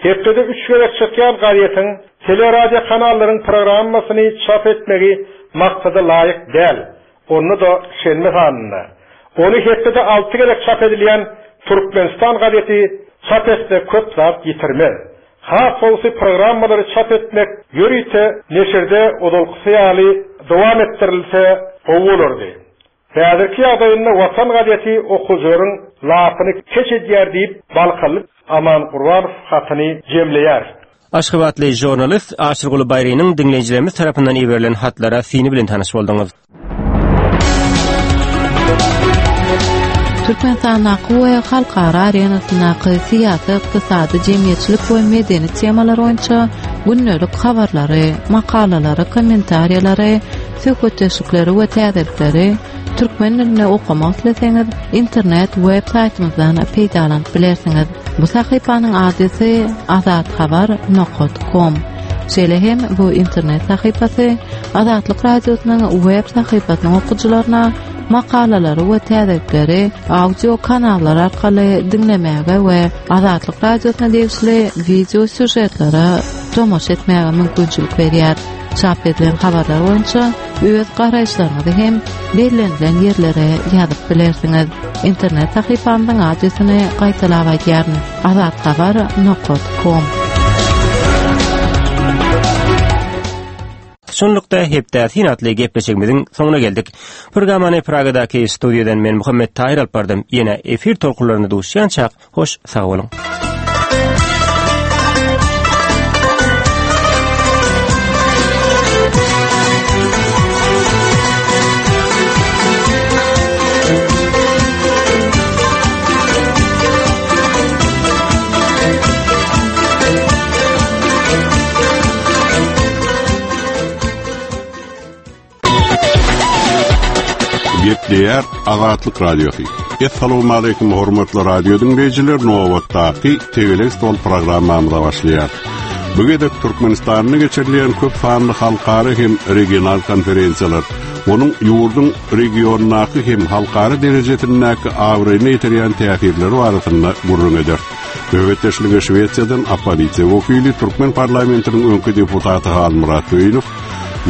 Hepdede üç gezek çykýan gazetiň, teleradiokanallyryň programmasyny çap etmegi maksada laýyk däl. Onda-da şenbe sanynda. Ony hepdede alty gezek çap edilýän Türkmenistan gazeti çap etse köp zat ýitirmez. Has gowusy programmalary çap etmek ýörite neşirde ozalkysy ýaly dowam etdirilse gowy bolardy. Häzirki ýagdaýynda Watan gazeti okyjylaryň lapyny keç edýär diýip, balkanly Aman Gurbanow hatyny jemleýär. Aşgabatly žurnalist Aşyrguly Baýrynyň diňleýjilerimiz tarapyndan iberilen hatlara syny bilen tanyş bolduňyz. Türkmenistandaky we halkara arenasyndaky syýasy, ykdysady, jemgyýetçilik we medeni temalar boýunça gündelik habarlary, makalalary, kommentariýalary, söhbetdeşlikleri we täzelikleri türkmen dilinde okamak isleseňiz, internet web saýtymyzdan peýdalanyp bilersiňiz. Bu sahypanyň adresi azathabar nokat kom. Şeýle hem bu internet sahypasy Azatlyk Radiosynyň web sahypasynyň okyjylaryna makalalary we täzelikleri audio kanallar arkaly diňlemäge we Azatlyk Radiosyna degişli wideo sýužetlere tomaşa etmäge mümkinçilik berýär. Çap edilen habarlar boýunça öz garaýyşlaryňyzy hem bellenilen ýerlere ýazyp bilersiňiz. Internet sahypamyzyň adresini gaýtalap aýdýaryn: azathabar nokat kom. Şunlukda Hepdä syn atly gepleşigimiziň soňuna geldik. Programmany Pragadaky studiýadan men Muhammet Taýyr alyp bardym. Ýene efir tolkunlarynda duşýançak, hoş sag boluň. Gepleýär Azatlyk Radiosy. Essalawmaleýkim hormatly radio diňleýjiler, nobatdaky Tegelek stol programmamyza başlaýar. Bu gezek Türkmenistanda geçirilýän köp sanly halkara hem regional konferensiýalar, onuň ýurduň regiondaky hem halkara derejesindäki abraýyna ýetirýän täsirleri barasynda gürrüň eder. Söhbetdeşlige Şwesiýadan oppozisiýa wekili, türkmen parlamentiniň öňki deputaty Halmyrat Söýünow,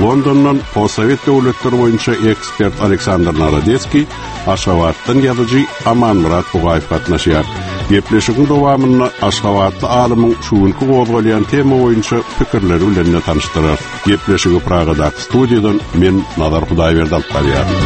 Londondan postsowet döwletleri boýunça ekspert Aleksandr Narodetskiý, Aşgabatdan ýazyjy Amanmyrat Bugaýew gatnaşýar. Gepleşigiň dowamynda aşgabatly alymyň şu günki gozgalýan tema boýunça pikirleri bilen-de tanyşdyrarys. Gepleşigi Pragadaky studiýadan men Nazar Hudaýberdi alyp barýaryn.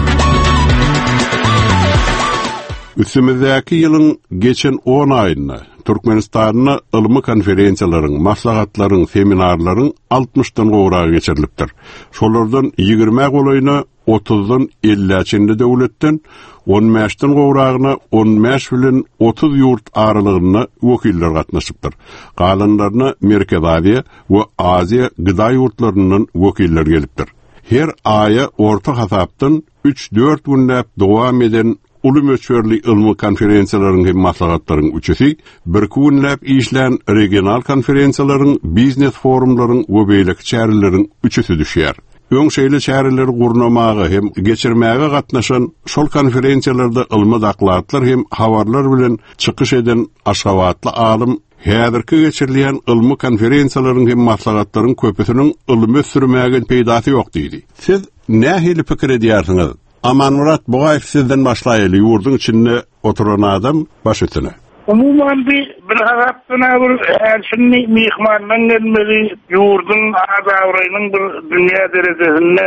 Üstümizdäki ýylyň geçen on aýynda Türkmenistanda ylmy konferensiýalaryň, maslahatlaryň, seminarlaryň altmyşdan gowragy geçirilipdir. Şolardan ýigrimä golaýyna otuzdan ellä çenli döwletden, on bäşden gowragyna on bäş bilen 30 ýurt aralygynda wekiller gatnaşypdyr. Galanlaryna Merkezi Aziýa we Aziýa gda ýurtlaryndan wekiller gelipdir. Her aýa orta hasapdan üç-dört günläp dowam eden uly möçberli ylmy konferensiýalaryň hem maslahatlaryň üçüsi, birki günläp işlän regional konferensiýalaryň, biznes-forumlaryň we beýleki çäreleriň üçüsi düşýär. Öň şeýle çäreleri gurnamaga hem geçirmäge gatnaşan, şol konferensiýalarda ylmy dokladlar hem habarlar bilen çykyş eden aşgabatly alym häzirki geçirilýän ylmy konferensiýalaryň hem maslahatlaryň köpüsiniň ylmy ösdürmäge peýdasy ýok diýdi. Siz nähili pikir edýärsiňiz? Amanmyrat Bugaýew sizden başlaýaly ýurduň içinde oturan adam baş üstüne. Umuman bi bir hasapdan-a bir häl şindi myhmanlaň gelmegi ýurduň at-abraýynyň bir dünýä derejesinde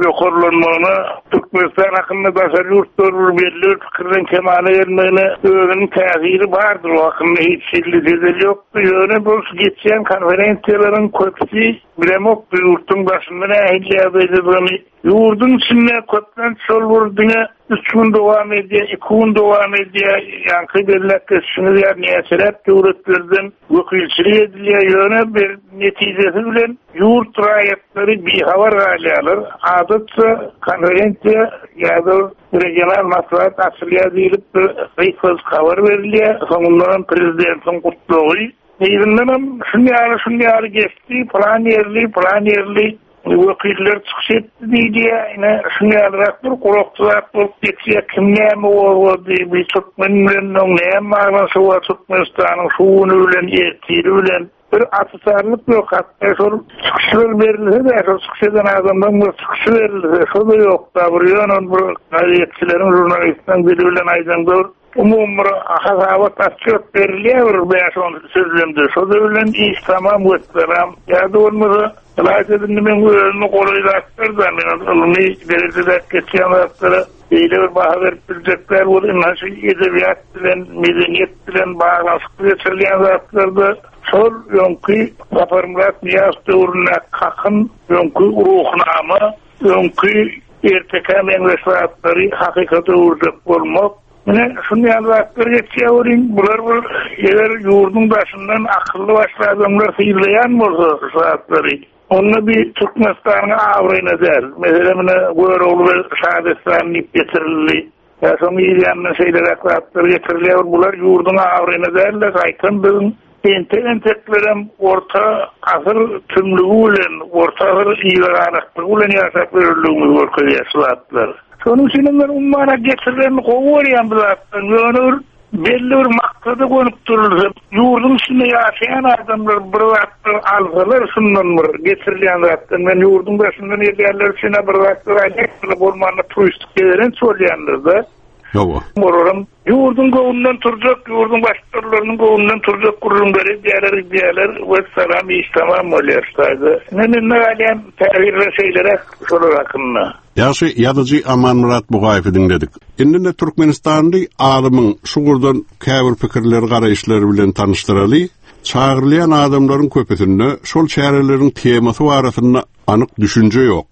ýokarlanmagyna Türkmenistan hakynda daşary ýurtlar bir belli bir pikirden kemala gelmegine özüniň täsiri bardyr o hakynda hiç hili jedel ýokdy ýöne bu geçýän konferensiýalaryň köpüsi bilemok bu ýurduň daşynda nähili ýagdaýdadygyny Ýurduň içinde köplenç şol bir diňe üç gün dowam edýär, iki gün dowam edýär, ýaňky belläp geçişiňiz ýaly näçeräk döwletlerden wekilçilik edilýär, ýöne bir netijesi bilen ýurt raýatlary bihabar galýarlar. Adatça konferensiýa ýa-da regional maslahat açylýar diýlip bir gysgajyk habar berilýär, soňundanam prezidentiň gutlagy, yzyndanam şun ýaly, şun ýaly geçdi, pylan ýerli, pylan ýerli Wekiller çykyş etdi diýilýär. Ine, şuň ýalyrak bir gurakçy zat bolup geçýär. Kim näme gozgady, bi türkmen bilen oň näme baglanyşygy bar Türkmenistanyň şu güni bilen, ertiri bilen. Bir açyşarlyk ýok. Hatda şol çykyşlar berilse-de, şol çykyş eden adamlaryň bir çykyşy berilse, şo-da ýok-da. Bir ýöne bir gazetçileriň, žurnalistleriň dili bilen aýdaňda bir Umumy bir hasabat otçýot berilýär bir bäş-on sözlemde. Şo-da bilen iş tamam wessalam. Ýa-da bolmasa, ylaýta-da indi meň özüme golaý zatlar-da, men ol ylmy derejedäki geçýän zatlara beýle bir baha berip biljek däl welin, ynha şu edebiýat bilen, medeniýet bilen baglanyşykly geçirilýän zatlarda şol öňki Saparmyrat Nyýazow döwründäki kakyn, öňki Ruhnama, öňki ertekä meňzeş zatlary hakykata öwürjek bolmak, Ine, şuny ýaly zatlar geçýär welin, bular bir eger ýurduň daşyndan akylly başly adamlar synlaýan bolsa şu zatlary, onda bi Türkmenistanyň abraýyna däl. Meselem, ine, Görogly we şadessany diýip getirildi. Ýa şoň yz ýanyndan şeýleräk zatlar getirilýär. Bular ýurduň abraýyna däl-de, gaýtam biziň entek-enteklerem orta asyr tümlügi bilen, orta asyr yzagalaklygy bilen ýaşap ýörenligimizi görkezýär şu zatlar. Şonuň üçinem men ummana getirilenini gowy görýän bu zatlaryň, ýöne bir belli bir maksada gönükdirilse, ýurduň içinde ýaşaýan adamlar bir zatlar alsalar şundan bir getirilýän zatdan, men ýurduň daşyndan gelýänler üçin-ä bir zatlar aýdýan, bolmanda turistik gezelenç bolýandyr-da. Hawa. Olaram ýurduň göwnünden turjak, ýurduň baştutanlarynyň göwnünden turjak gürrüňleri edýärler, gidýärler, wessalam, iş tamam bolýar şu taýda. Ine mende galýan täsirler şeýleräk şolar hakynda. Ýagşy ýazyjy Amanmyrat Bugaýewi diňledik. Indi-de türkmenistanly alymyň şu ugurdan käbir pikirleri, garaýyşlary bilen tanyşdyraly. Çagyrylýan adamlaryň köpüsinde şol çäreleriň temasy barasynda anyk düşünje ýok.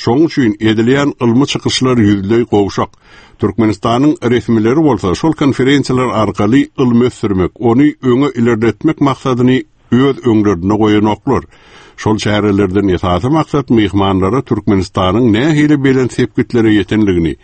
Şonuň üçin edilýän ylmy çykyşlar ýüzleý gowşak. Türkmenistanyň resmileri bolsa şol konferensiýalar arkaly ylmy ösdürmek, ony öňe ilerletmek maksadyny öz öňlerinde goýanoklar. Şol çärelerden esasy maksat myhmanlara Türkmenistanyň nähili belent sepgitlere ýetenligini,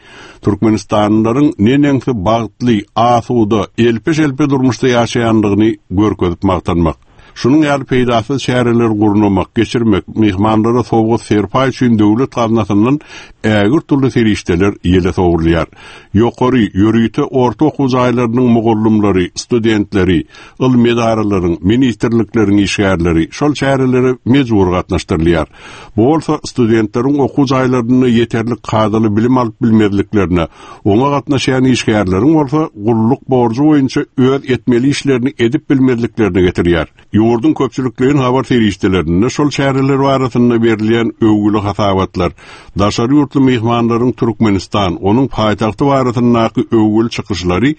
türkmenistanlylaryň neneňsi bagtly, asuda, elpe-şelpe durmuşda ýaşaýandygyny görkezip magtanmak. Şunuň ýaly peýdasyz çäreleri gurnamak, geçirmek, myhmanlara sowgat-serpaý üçin döwlet gaznasyndan ägirt uly serişdeler ýele sowrulýar. Ýokary, ýörite orta okuw jaýlarynyň mugallymlary, studentleri, ylmy edaralaryň, ministrlikleriň işgärleri şol çärelere mejbury gatnaşdyrylýar. Bu bolsa studentleriň okuw jaýlarynda ýeterlik kadaly bilim alyp bilmezliklerine, oňa gatnaşýan işgärleriň bolsa gulluk borjy boýunça öz etmeli işlerini edip bilmezliklerine getirýär. Ýurduň köpçülikleýin habar serişdelerinde şol çäreler barasynda berilýän öwgüli hasabatlar, daşary ýurtly myhmanlaryň Türkmenistan, onuň paýtagty barasyndaky öwgüli çykyşlary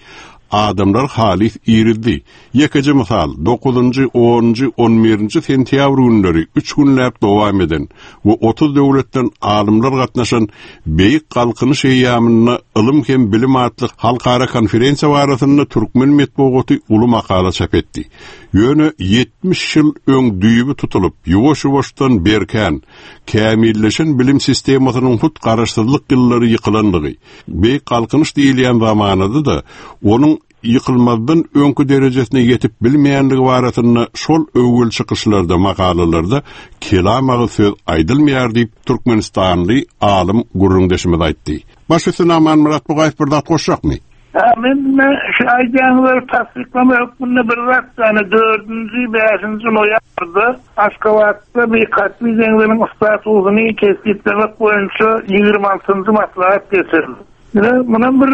adamlary halys irizdi. Ýekeje mysal, dokuzynjy, onunjy, on birinji sentýabr günleri üç günläp dowam eden we 30 döwletden alymlar gatnaşan Beýik Galkynyş eýýamynda ylym hem bilim atly halkara konferensiýa barasynda türkmen metbugaty uly makala çap etdi. Ýöne 70 ýyl öň düýbi tutulyp, ýuwaş-ýuwaşdan berkän, kämilleşen bilim sistemasynyň hut garaşsyzlyk ýyllary ýykylandygy, Beýik Galkynyş diýilýän zamanada-da onuň ýykylmazdan öňki derejesine ýetip bilmeýänligi barasynda şol öwgüli çykyşlarda, makalalarda kelam agyz söz aýdylmaýar diýip, türkmenistanly alym gürrüňdeşimiz aýtdy. Baş üstüne Amanmyrat Bugaýew bir zat goşjakmy? Hä, men ine şu aýdýanyňyzlary tassyklama hökmünde bir zat, ýagny dördünji, bäşinji noýabrda Aşgabatda Beýik Kaspi deňziniň statusyny kesgitlemek boýunça 26-njy maslahat geçirildi. Ine, munam bir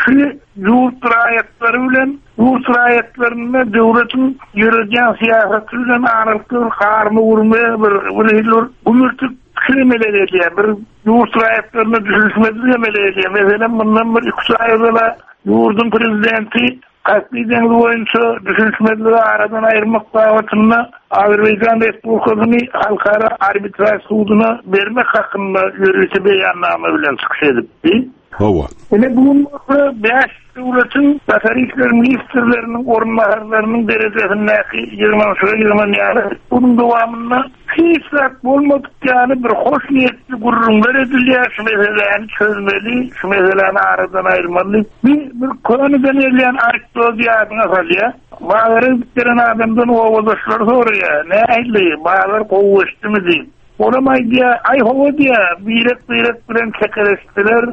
şu ýurt raýatlary bilen ýurt raýatlarynda döwletiň ýöredýän syýasaty bilen aralykda bir garma-gürme, bir bir hili bir gümürtik pikir emele gelýär. Bir ýurt raýatlarynda düşünişmezlik emele gelýär. Meselem, mundan bir iki-üç aý ozal-a ýurduň prezidenti Kaspi deňzi boýunça düşünişmezligi aradan aýyrmak babatynda Azerbaýjan Respublikasyny Halkara arbitraž suduna bermek hakynda ýörite beýannama bilen çykyş edipdi. Hawa. Ine, bu gün bolsa bäş döwletiň daşary işler ministrleriniň orunbasarlarynyň derejesindäki ýygnanyşyga ýygnanýarlar. Onuň dowamynda Hiç zat bolmadyk ýaly bir hoş niýetli gürrüňler edilýär, şu meseläni çözmeli, şu meseläni aradan aýyrmaly diýip. Bir, bir köneden gelýän anekdody ýadyňa salýar. Bazara gidip gelen adamdan obadaşlary soraýar, Nähili, bazar gowy geçdimi diýip. Olam aýdýar, Aý hawa diýýär, birek-birek bilen çekeleşdiler.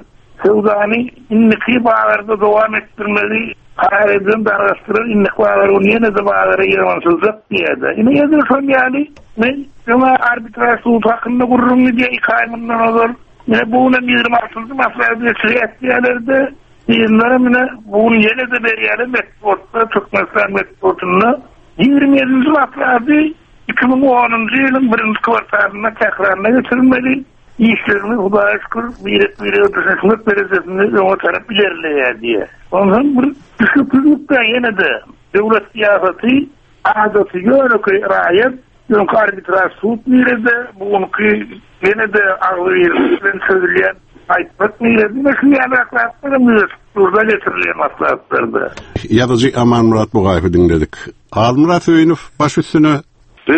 Söwdany indiki bazarda dowam etdirmegi karar edilen dargaşdylar, indiki bazar güni ýene-de bazara ýygnanyşyljak diýýär-de. Ine, edil şol ýaly, men öň-ä arbitraž sudy hakynda gürrüň gidýär iki aý mundan ozal. Ine, bu günem 26-njy maslahat geçirýäs diýýärler-de, yzyndanam ine, bu gün ýene-de berýärler metbugatda, Türkmenistan metbugatynda. 27-nji maslahady 2010-njy ýylyň birinji kwartalynda Tähranda geçirilmeli. Işlerimiz Hudaýa şükür birek-birege düşünişmek derejesinde öňe tarap ilerleýär diýýär. Onsoň bir düşnüksizlik-dä ýene-de döwlet syýasaty adaty ýönekeý raýat öňki arbitraž sud nirede, bu günki ýene-de agzybirlik bilen çözülýän aýtmak nirede? Ine şu ýalyrak zatlaram ýüze çykyp durda getirilýän maslahatlarda. Ýazyjy Amanmyrat Bugaýewi diňledik. Halmyrat Söýünow baş üstüne Bu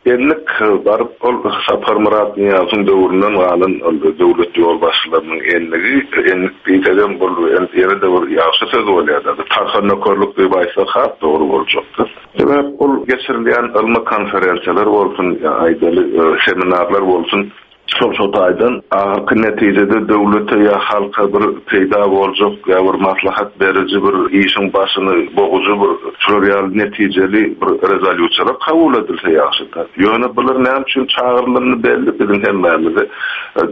endik baryp ol Saparmyrat Nyýazowyň döwründen galan ol döwlet ýolbaşçylarynyň endigi, endik diýsegem bul ýene-de bir ýagşy söz bolýar-da, tarhan nökerlik diýip aýtsak has dogry boljakdyr. Sebäp ol geçirilýän ylmy konferensiýalar bolsun, ýa aýdaly seminarlar bolsun, Şol şo taýdan ahyrky netijede döwlete ýa halka bir peýda boljak ýa bir maslahat beriji bir işiň başyny bogujy bir şular ýaly netijeli bir rezolýusiýalar kabul edilse ýagşyda. Ýöne bular näme üçin çagyrylanyny belli biziň hemmämize.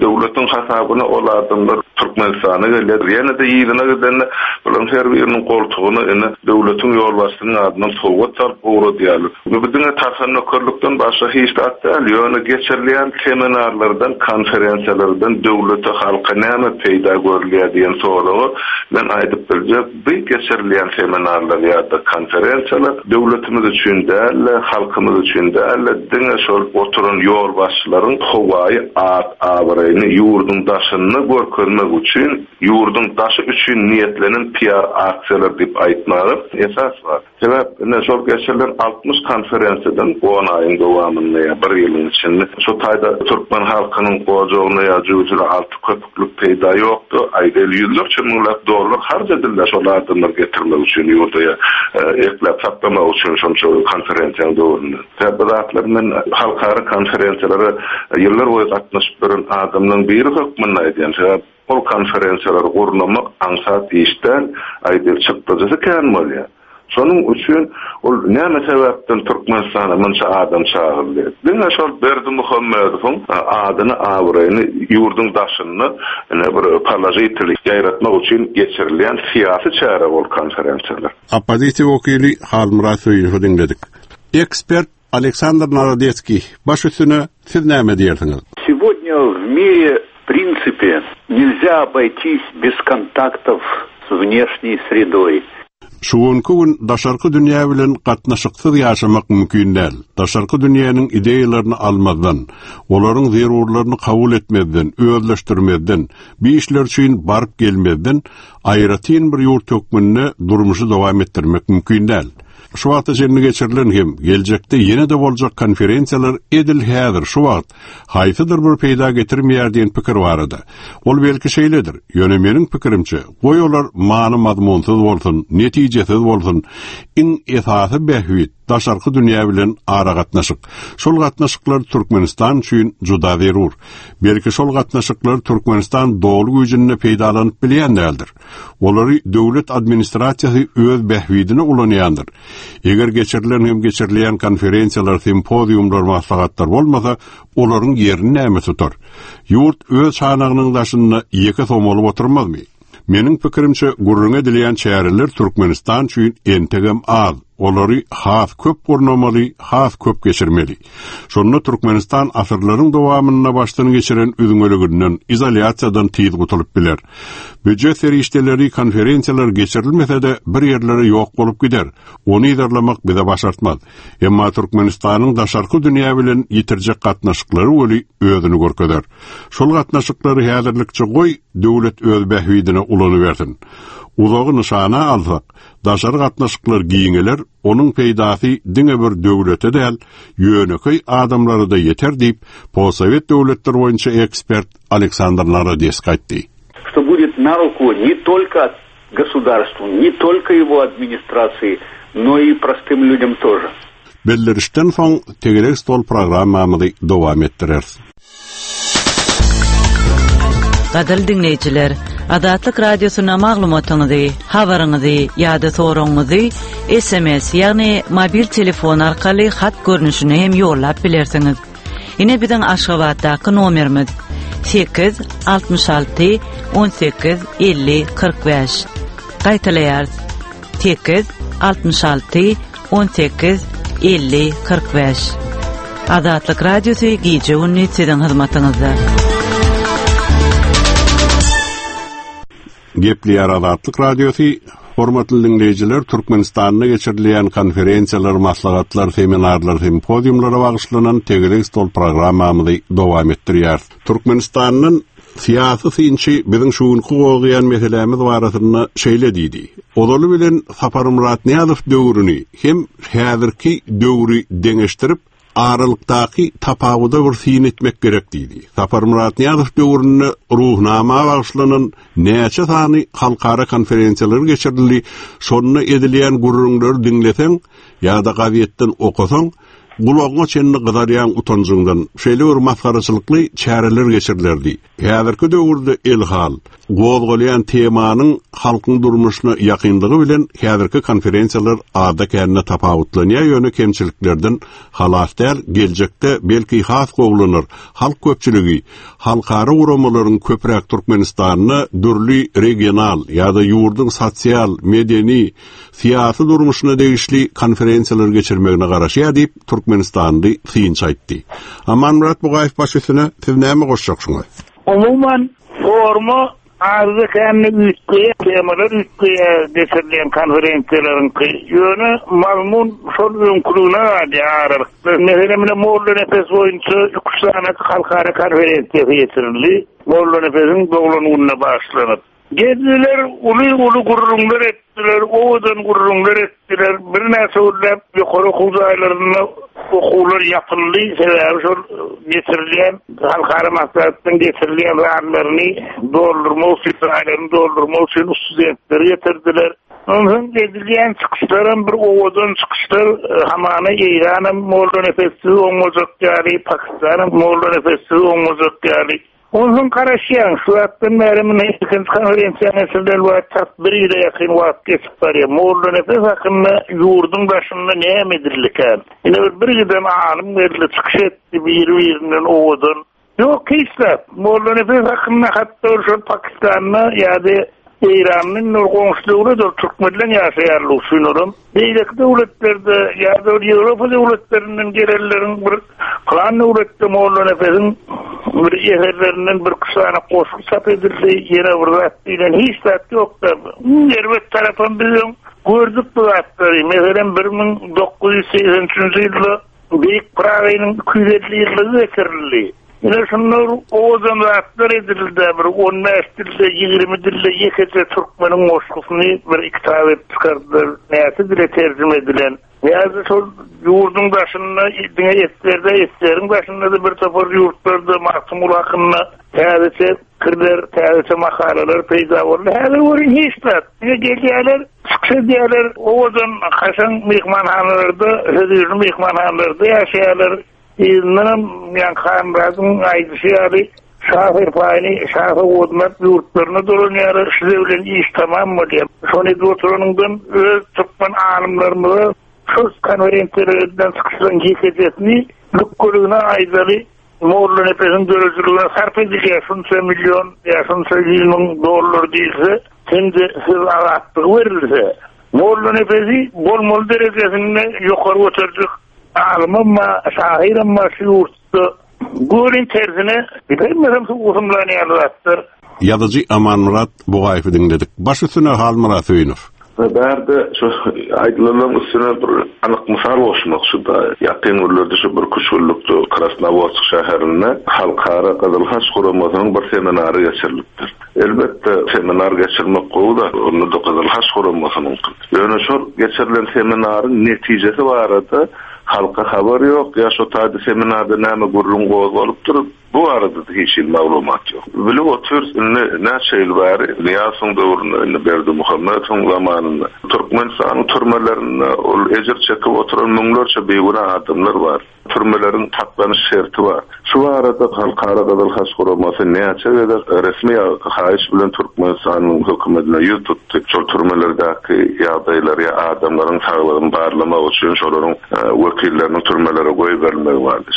Döwletiň hasabyna ol adamlar Türkmenistana gelýär. Ýene-de yzyna gidende bularyň her biriniň goltugyna ine döwletiň ýolbaşçysynyň adyndan sowgat salyp ugradýarlar. Bu diňe tarhan nökerlikden başga hiç zat däl. Ýöne geçirilýän seminarlarda. Seminarlardan, konferensiýalardan döwlete, halka näme peýda görülýär diýen soraga men aýdyp biljek, bu geçirilýän seminarlar ýa-da konferensiýalar döwletimiz üçin däl-de, halkymyz üçin däl-de, diňe şol oturan ýolbaşçylaryň howaýy at-abraýyny ýurduň daşynda görkezmek üçin, ýurduň daşy üçin niýetlenen PR aksiýalar diýip aýtmaga esas bar. Sebäp, ine, şol geçirilen 60 konferensiýadan on aýyň dowamynda ýa bir ýylyň içinde şu taýda türkmen halkynyň ojagyna ýa jübüsine alty köpüklik peýda ýokdy. Aýdaýly, ýüzlerçe müňläp dollar harç edildi şol adamlary getirmek üçin ýurda ýa ekläp saklamak üçin şonça konferensiýanyň döwründe. Sebäp bu zatlary men halkara konferensiýalara ýyllar boýy gatnaşyp ýören adamlaryň biri hökmünde aýdýan. Sebäp, Ol konferensiýalary gurnamak aňsat iş däl, aýdyl çykdajysy kän bolýar. Şonuň üçin ol näme sebäpden Türkmenistana munça adam çagyrylýar? Diňe şol Berdimuhamedowyň adyny, abraýyny ýurduň daşynda ine bir položitel ýaýratmak üçin geçirilýän syýasy çäre ol konferensiýalar. Oppozisiýa wekili Halmyrat Söýünowy diňledik. Ekspert Aleksandr Narodetskiý, baş üstüne, siz näme diýersiňiz? Сегодня в мире в принципе нельзя обойтись без kontaktов с внешней средой. Şu günki gün daşarky dünýä bilen gatnaşyksyz ýaşamak mümkin däl. Daşarky dünýäniň ideýalaryny almazdan, olaryň zerurlaryny kabul etmezden, özleşdirmezden, bu işler üçin baryp gelmezden aýratyn bir ýurt hökmünde durmuşy dowam etdirmek mümkin däl. Şu wagta çenli geçirilen hem geljekde ýene-de boljak konferensiýalar edil häzir, şu wagt, haýsydyr bir peýda getirmeýär diýen pikir barada. Ol belki şeýledir, ýöne meniň pikirimçe, goý olar many-mazmunsyz bolsun, netijesiz bolsun, iň esasy bähbit, daşarky dünýä bilen aragatnaşyk. Şol gatnaşyklar Türkmenistan üçin juda zerur. Belki şol gatnaşyklary Türkmenistan doly güýjünde peýdalanyp bilýän däldir. Olary döwlet administrasiýasy öz bähbidine ulanýandyr. Eger geçirilen hem geçirilýän konferensiýalar, simpoziumlar, maslahatlar bolmasa, olaryň ýerini näme tutar? Ýurt öz çanagynyň daşynda ýeke somalyp oturmazmy? Meniň pikirimçe, gürrüňi edilýän çäreler Türkmenistan üçin entegem az. Olary has köp gurnamaly, has köp geçirmeli. Şonda Türkmenistan asyrlaryň dowamynda başdan geçiren üzňeliginden, izolýasiýadan tiz gutulyp biler. Býujet serişdeleri konferensiýalar geçirilmese-de bir ýerlere ýok bolup gider. Ony yzarlamak bize başartmaz. Emma Türkmenistanyň daşarky dünýä bilen ýitirjek gatnaşyklary weli özüni görkezer. Şol gatnaşyklary häzirlikçe goý, döwlet öz bähbidine ulanybersin. Uzagy nyşana alsak, Daşary gatnaşyklar giňeler, onuň peýdasy diňe bir döwlete däl, ýönekeý adamlara-da ýeter diýip, postsowet döwletleri boýunça ekspert Aleksandr Narodesk aýtdy. Что будет на руку не только государству, не только его администрации, но и простым людям тоже. Bildirişden soň tegelek stol programmamyzy dowam etdireris. Gadyrly diňleýjiler, Azatlyk Radiosyna maglumatyňyzy, habaryňyzy ýa-da soragyňyzy SMS, ýagny mobil telefon arkaly hat görnüşinde hem ýollap bilersiňiz. Ine biziň Aşgabatdaky nomerimiz 8 66 18 50 45. Gaýtalaýarys. 8 66 18 50 45. Azatlyk Radiosy gije-gündiz siziň hyzmatyňyzda. Gepleýär Azatlyk Radiosy, Hormatly diňleýjiler, Türkmenistanda geçirilýän konferensiýalar, maslahatlar, seminarlar, simpoziumlara bagyşlanan Tegelek stol programmamyzy dowam etdirýäris. Türkmenistandan Syýasy synçy biziň şu günki gozgaýan meselämiz barasynda şeýle diýdi, Ozaly bilen Saparmyrat Nyýazow döwrüni hem häzirki döwri deňeşdirip, aralykdaky tapawuda bir syn etmek gerek diýdi. Saparmyrat Nyýazow döwründe Ruhnama bagyşlanan näçe sany halkara konferensiýalar geçirildi, şonda edilýän gürrüňleri diňleseň ýa-da gazetden okasaň, Gulagyňa çenli gyzarýaň utanjyňdan. Şeýle bir masgaraçylykly çäreler geçirilerdi. Häzirki döwürde elhal, gozgalýan temanyň halkyň durmuşyna ýakynlygy bilen häzirki konferensiýalar azda-kände tapawutlanýar, ýöne kemçiliklerden halas däl, geljekde belki has gowulanar. Halk köpçüligi halkara guramalaryň köpräk Türkmenistanda dürli regional ýa-da ýurduň sosial, medeni, syýasy durmuşyna degişli konferensiýalar geçirmegine garaşýar diýip, türkmenistanly synçy aýtdy. Amanmyrat Bugaýew baş üstüne, siz näme goşjak şuňa? Umuman, forma azda-kände üýtgeýär, temalar üýtgeýär geçirilýän konferensiýalaryňky. Ýöne mazmun şol öňküligine galýar aralykda. Meselem, ine Mollanepes boýunça iki-üç sany halkara konferensiýasy geçirildi. Mollanepesiň doglan gününe bagyşlanyp. Geldiler, uly-uly gürrüňler etdiler, owadan gürrüňler etdiler. Birnäçe günläp ýokary okuw jaýlarynda okuwlar ýapyldy, sebäbi şol geçirilýän halkara maslahatlaryň geçirilýän zallaryny doldurmak üçin, jaýlaryny doldurmak üçin studentleri getirdiler. Onsoň edilýän çykyşlaram bir owadan çykyşlar, hamana Eýranam Mollanepessiz oňmajak ýaly, Pakistanam Mollanepessiz oňmajak ýaly. Onsoň garaşýaň, şu wagtdan bäri muny ikinji konferensiýa geçirilen wagt tas bir ýyla ýakyn wagt geçip barýar. Mollanepes hakynda ýurduň daşynda näme edildikän? Ine bir bir giden alym geldi, çykyş etdi biri-birinden owadan. Ýok, hiç zat. Mollanepes hakynda hatda ol şol Pakistanda ýa-da Eýranda indi ol goňşy döwlet ol türkmenleň ýaşaýanlygy üçin olam. Beýleki döwletlerde ýa-da ol Ýewropa döwletlerinden gelenleriň bir pylan döwletde Mollanepesiň bir eserlerinden birki sany goşgy çap edildi, ýene bir zat diýlen hiç zat ýok-da. Iň erbet tarapam biz öň gördük bu zatlary. Meselem, 1983-nji ýylda Beýik Pyragynyň 250 ýyllygy geçirildi. Ine şunda bir owadan zatlar edildi-dä, bir on bäş dilde, 20 dilde ýekeje türkmeniň goşgusyny bir kitap edip çykardylar, näçe dile terjime edilen. Ýa-da şol ýurduň daşynda diňe eserde, eseriň daşynda-da bir topar ýurtlarda Magtymguly hakynda täzeçe pikirler, täzeçe makalalar peýda boldy. Häzir welin hiç zat. Diňe gelýärler, çykyş edýärler, owadan, kaşaň myhmanhanalarda, hödürli myhmanhanalarda ýaşaýarlar. Yzyndanam ýaňky Halmyradyň aýdyşy ýaly, şa serpaýyny, şa sowgadyny alyp ýurtlaryna dolanýarlar. Şuze bilen iş tamam bolýar. Şony edip oturanyňdan öz türkmen alymlarymyza şol konferensiýalara edilen çykyşlaryň ýekejesini lükgeligine aýdaly, Mollanepesiň döredijiligine sarp edilýär şunça million ýa şunça 100 müň dollar diýilse hem-de söz azatlygy berilse, Mollanepesi bolmaly derejesinde ýokary göterjek Alymam bar, şahyram bar şu ýurtda. Görüň tersine, hemmesem suw gusumlan ýaly zatlar. Ýazyjy Amanmyrat Bugaýewi diňledik. Baş üstüne Halmyrat Söýünow. Bärde şu aýdylanlaryň üstüne bir anyk mysal goşmak şu-da, ýakyn günlerde şu birküç günlükde Krasnowodsk şäherinde Halkara Gyzyl Haç guramasynyň bir seminary geçirilipdir. Elbetde, seminar geçirmek gowy zat, onda-da Gyzyl Haç guramasynyňky. Ýöne şol geçirilen seminaryň netijesi barada halka habar ýok, ýa şo taýda seminarda näme gürrüň gozgalypdyr, bu barada-da hiç hili maglumat ýok. Bilip otyrys, indi näçe ýyl bäri, Nyýazowyň döwründe, indi Berdimuhamedowyň zamanynda Türkmenistanyň türmelerinde ol ejir çekip oturan müňlerçe bigünä adamlar bar. Türmeleriň saklanyş şerti bar. Şu barada Halkara Gyzyl Haç Guramasy näçe gezek resmi haýyş bilen Türkmenistanyň hökümetine ýüz tutdy. Şol türmelerdäki ýagdaýlary ýa adamlaryň saglygyny barlamak üçin şolaryň wekilleriniň türmelere goýberilmegi bardy.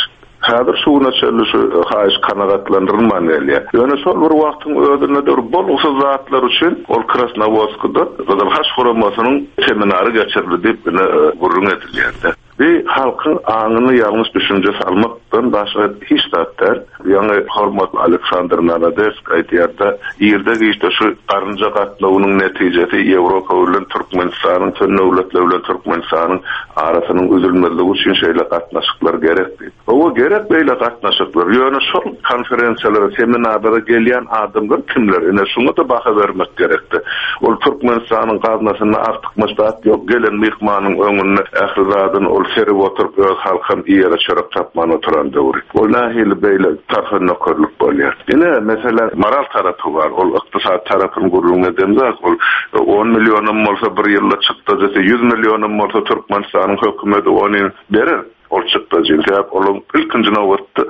Häzir şu güne çenli şu haýyş kanagatlandyrylman gelýär. Ýöne şol bir wagtyň özünde-de bir bolgusyz zatlar üçin ol Krasnowodskda Gyzyl Haç Guramasynyň seminary geçirildi diýip ine gürrüň edilýär-de. Bi halkyň aňyna ýalňyş düşünje salmakdan başga hiç zat däl. Ýaňy hormatly Aleksandr Nanadesk aýdýar-da, irde-giçde şu garynja gatnawynyň netijesi Ýewropa bilen Türkmenistanyň, çöl döwletler bilen Türkmenistanyň arasynyň üzülmezligi üçin şeýle gatnaşyklar gerek diýip. Hawa, gerek beýle gatnaşyklar. Ýöne şol konferensiýalara, seminarlara gelýän adamlar kimler? Ine, şuňa-da baha bermek gerekdi. Ol Türkmenistanyň gaznasynda artykmaç zat ýok. Gelen myhmanyň öňünde ähli zadyny ol serip oturyp, öz halkam iýere çörek tapman oturan döwri. Ol nähili beýle tarhan-nökerlik bolýar? Ine, mesele moral tarapy bar. Ol ykdysady tarapyny gürrüň edemzok. Ol on millionam bolsa bir ýylda çykdajysy, 100 millionam bolsa Türkmenistanyň hökümeti ony berer. Ol çykdajyny, sebäp olaň ilkinji nobatda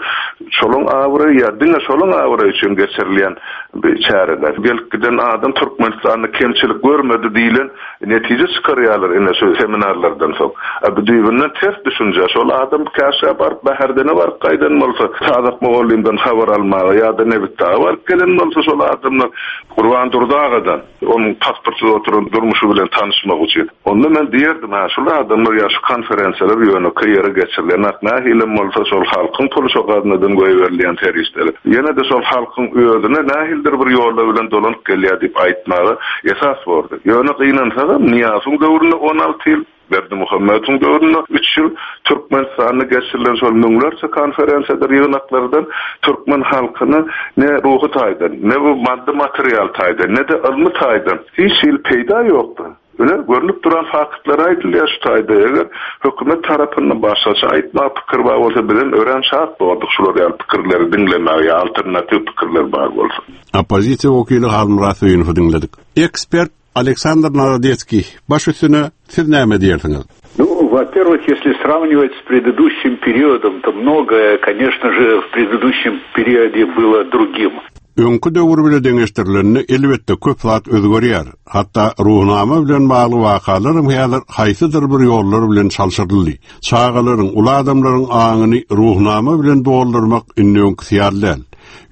şolaň abraýy ýa diňe şolaň abraýy üçin geçirilýän bir çäreler. Gelip giden adam Türkmenistanda kemçilik görmedi diýlen netije çykarýarlar ine şu seminarlardan soň. A bu düýbünden ters düşünje. Şol adam Käşgä baryp Bäherdene baryp gaýdan bolsa, Sazak mugallymdan habar almaga ýa-da Nebitdaga baryp gelen bolsa şol adamlar Gurban Durdy agadan. Onuň pasportsyz oturan durmuşy bilen tanyşmak üçin. Onda men diýerdim, hä, şul adamlar ýa şu konferensiýalar ýönekeý ýere geçirilmez. geçirilenok. Nähilem bolsa şol halkyň puly şo gaznadan goýberilýän serişdeler. Ýene-de şol halkyň özüne nähilidir bir ýollar bilen dolanyp gelýär diýip aýtmaga esas bordy. Ýöne gynansagam Nyýazowyň döwründe 16 ýyl, Berdimuhamedowyň döwründe üç ýyl Türkmenistanda geçirilen şol müňlerçe konferensiýadyr ýygnaklardan türkmen halkyna ne ruhy taýdan, ne bu maddy-material taýdan, ne-de ylmy taýdan hiç hili peýda ýokdy. Ine, görnüp duran faktlar aýdylýar şu taýda. Eger hökümet tarapyndan başgaça aýtmaga pikir bar bolsa, bizem örän şat bordyk şular ýaly pikirleri diňlemäge ýa alternatiw pikirler bar bolsa. Oppozisiýa wekili Halmyrat Söýünowy diňledik. Ekspert Aleksandr Narodetskiý, baş üstüne, siz näme diýersiňiz? Ну, во-первых, если сравнивать с предыдущим периодом, то многое, конечно же, в предыдущем периоде было другим. Öňki döwür bile deňeşdirilende, elbetde, köp zat özgerýär. Hatda Ruhnama bilen bagly wakalaram häzir haýsydyr bir ýollar bilen çalşyryldy. Çagalaryň, uly adamlaryň aňyny Ruhnama bilen doldurmak indi öňküsi ýaly däl.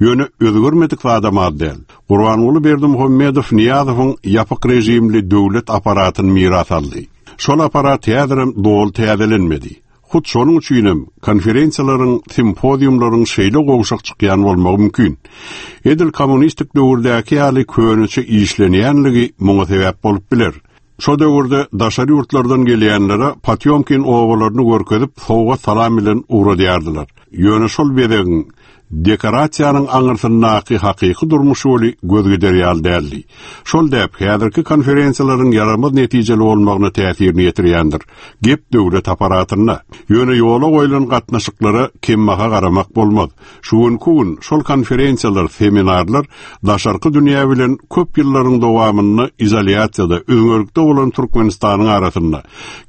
Ýöne özgermedik zadam az däl. Gurbanguly Berdimuhamedow Nyýazowyň ýapyk režimli döwlet apparatyny miras aldy. Şol apparat häzirem doly täzelenmedi. Hut şonuň üçinem konferensiýalaryň, simpoziumlaryň şeýle gowşak çykýan bolmagy mümkin. Edil kommunistik döwürdäki ýaly köneçe işlenýänligi muňa sebäp bolup biler. Şo döwürde daşary ýurtlardan gelýänlere Potýomkin obalaryny görkezip, sowgat-salam bilen ugradýardylar. Ýöne şol bezegiň, dekorasiýanyň aňyrsyndaky hakyky durmuş weli göz gider ýaly däldi. Şol däp häzirki konferensiýalaryň ýaramaz netijeli bolmagyna täsirini ýetirýändir. Gep döwlet apparatynda. Ýöne ýola goýlan gatnaşyklara kembaha garamak bolmaz. Şu günki gün şol konferensiýalar, seminarlar daşarky dünýä bilen köp ýyllaryň dowamynda izolýasiýada, üzňelikde bolan Türkmenistanyň arasynda,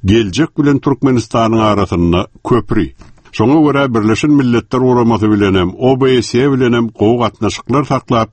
geljek bilen Türkmenistanyň arasynda köpri. Şoňa görä Birleşen Milletler Guramasy bilenem, OBSE bilenem gowy gatnaşyklar saklap,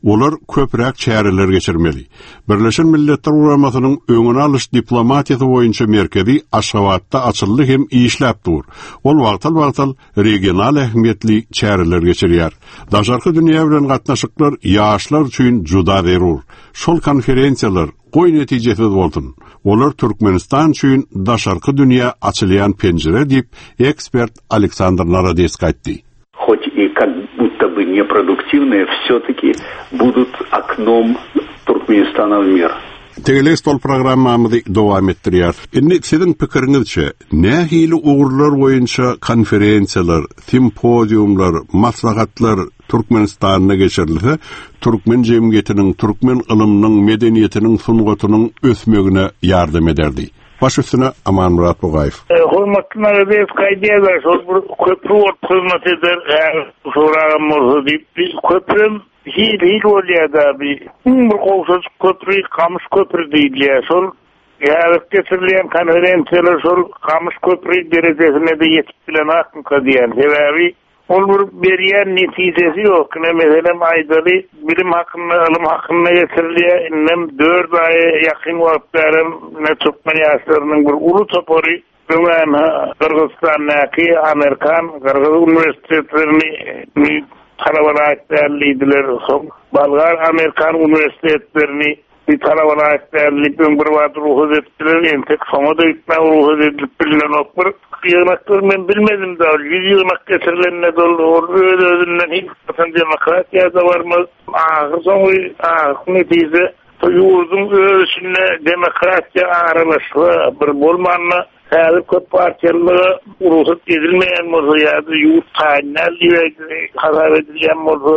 olar köpräk çäreler geçirmeli. Birleşen Milletler Guramasynyň öňüni alyş diplomatiýasy boýunça merkezi Aşgabatda açyldy hem işläp dur. Ol wagtal-wagtal regional ähmiýetli çäreler geçirýär. Daşarky dünýä bilen gatnaşyklar ýaşlar üçin juda zerur. Şol konferensiýalar, goý netijesiz bolsun, olar Türkmenistan üçin daşarky dünýä açylýan penjire diýip, ekspert Aleksandr Narodesk aýtdy. Хоть и как будто бы непroduktivные, все-таки будут okном Туркменистана в мир. Tegelek stol programmamyzy dowam etdirýäris. Indi siziň pikiriňizçe, nähili ugurlar boýunça konferensiýalar, simpoziumlar, maslahatlar Türkmenistanda geçirilse, türkmen jemgyýetiniň, türkmen ylymynyň, medeniýetiniň, sungatynyň ösmegine ýardam ederdi? Baş üstüne Amanmyrat Bugaýew. Hormatly Naradeýew aýdýarlar, şol bir köpri bolup hyzmat eder, häzir soragam bolsa diýip, köprem Hil-hil bolýar-da bi. Iň bir gowşajyk köpri Gamyş köpri diýilýär. Şol häzirki geçirilýän konferensiýalar şol Gamyş köpri derejesine-de ýetip bilenakmyka diýýän. Sebäbi ol bir berýän netijesi ýok. Ine, meselem, aýdaly, bilim hakynda, ylym hakynda geçirilýär. Indem dört aýa ýakyn wagt bärem ine türkmen ýaşlarynyň bir uly topary Öňem Gyrgyzystandaky amerikan, gyrgyz uniwersitetlerini talaba laýyk däl diýdiler. Soň bolgar, amerikan uniwersitetlerini talaba laýyk däl diýip öň bir wagt rugsat etdiler. Entek soňa-da gitmäge rugsat edilip bilinenok. Bir ýygnaklar men bilmedim-de, ol ýüz ýygnak geçirilende-de ol öz-özünden hiç haçan demokratiýa-da barmaz. Ahyrsoňy ahyrky netije Bu ýurduň öz içinde demokratiýa aralaşsa, bir bolmanda häzir köp partiýalylyga rugsat edilmeýän bolsa ýa-da ýurt taýyn däl diýip hasap edilýän bolsa,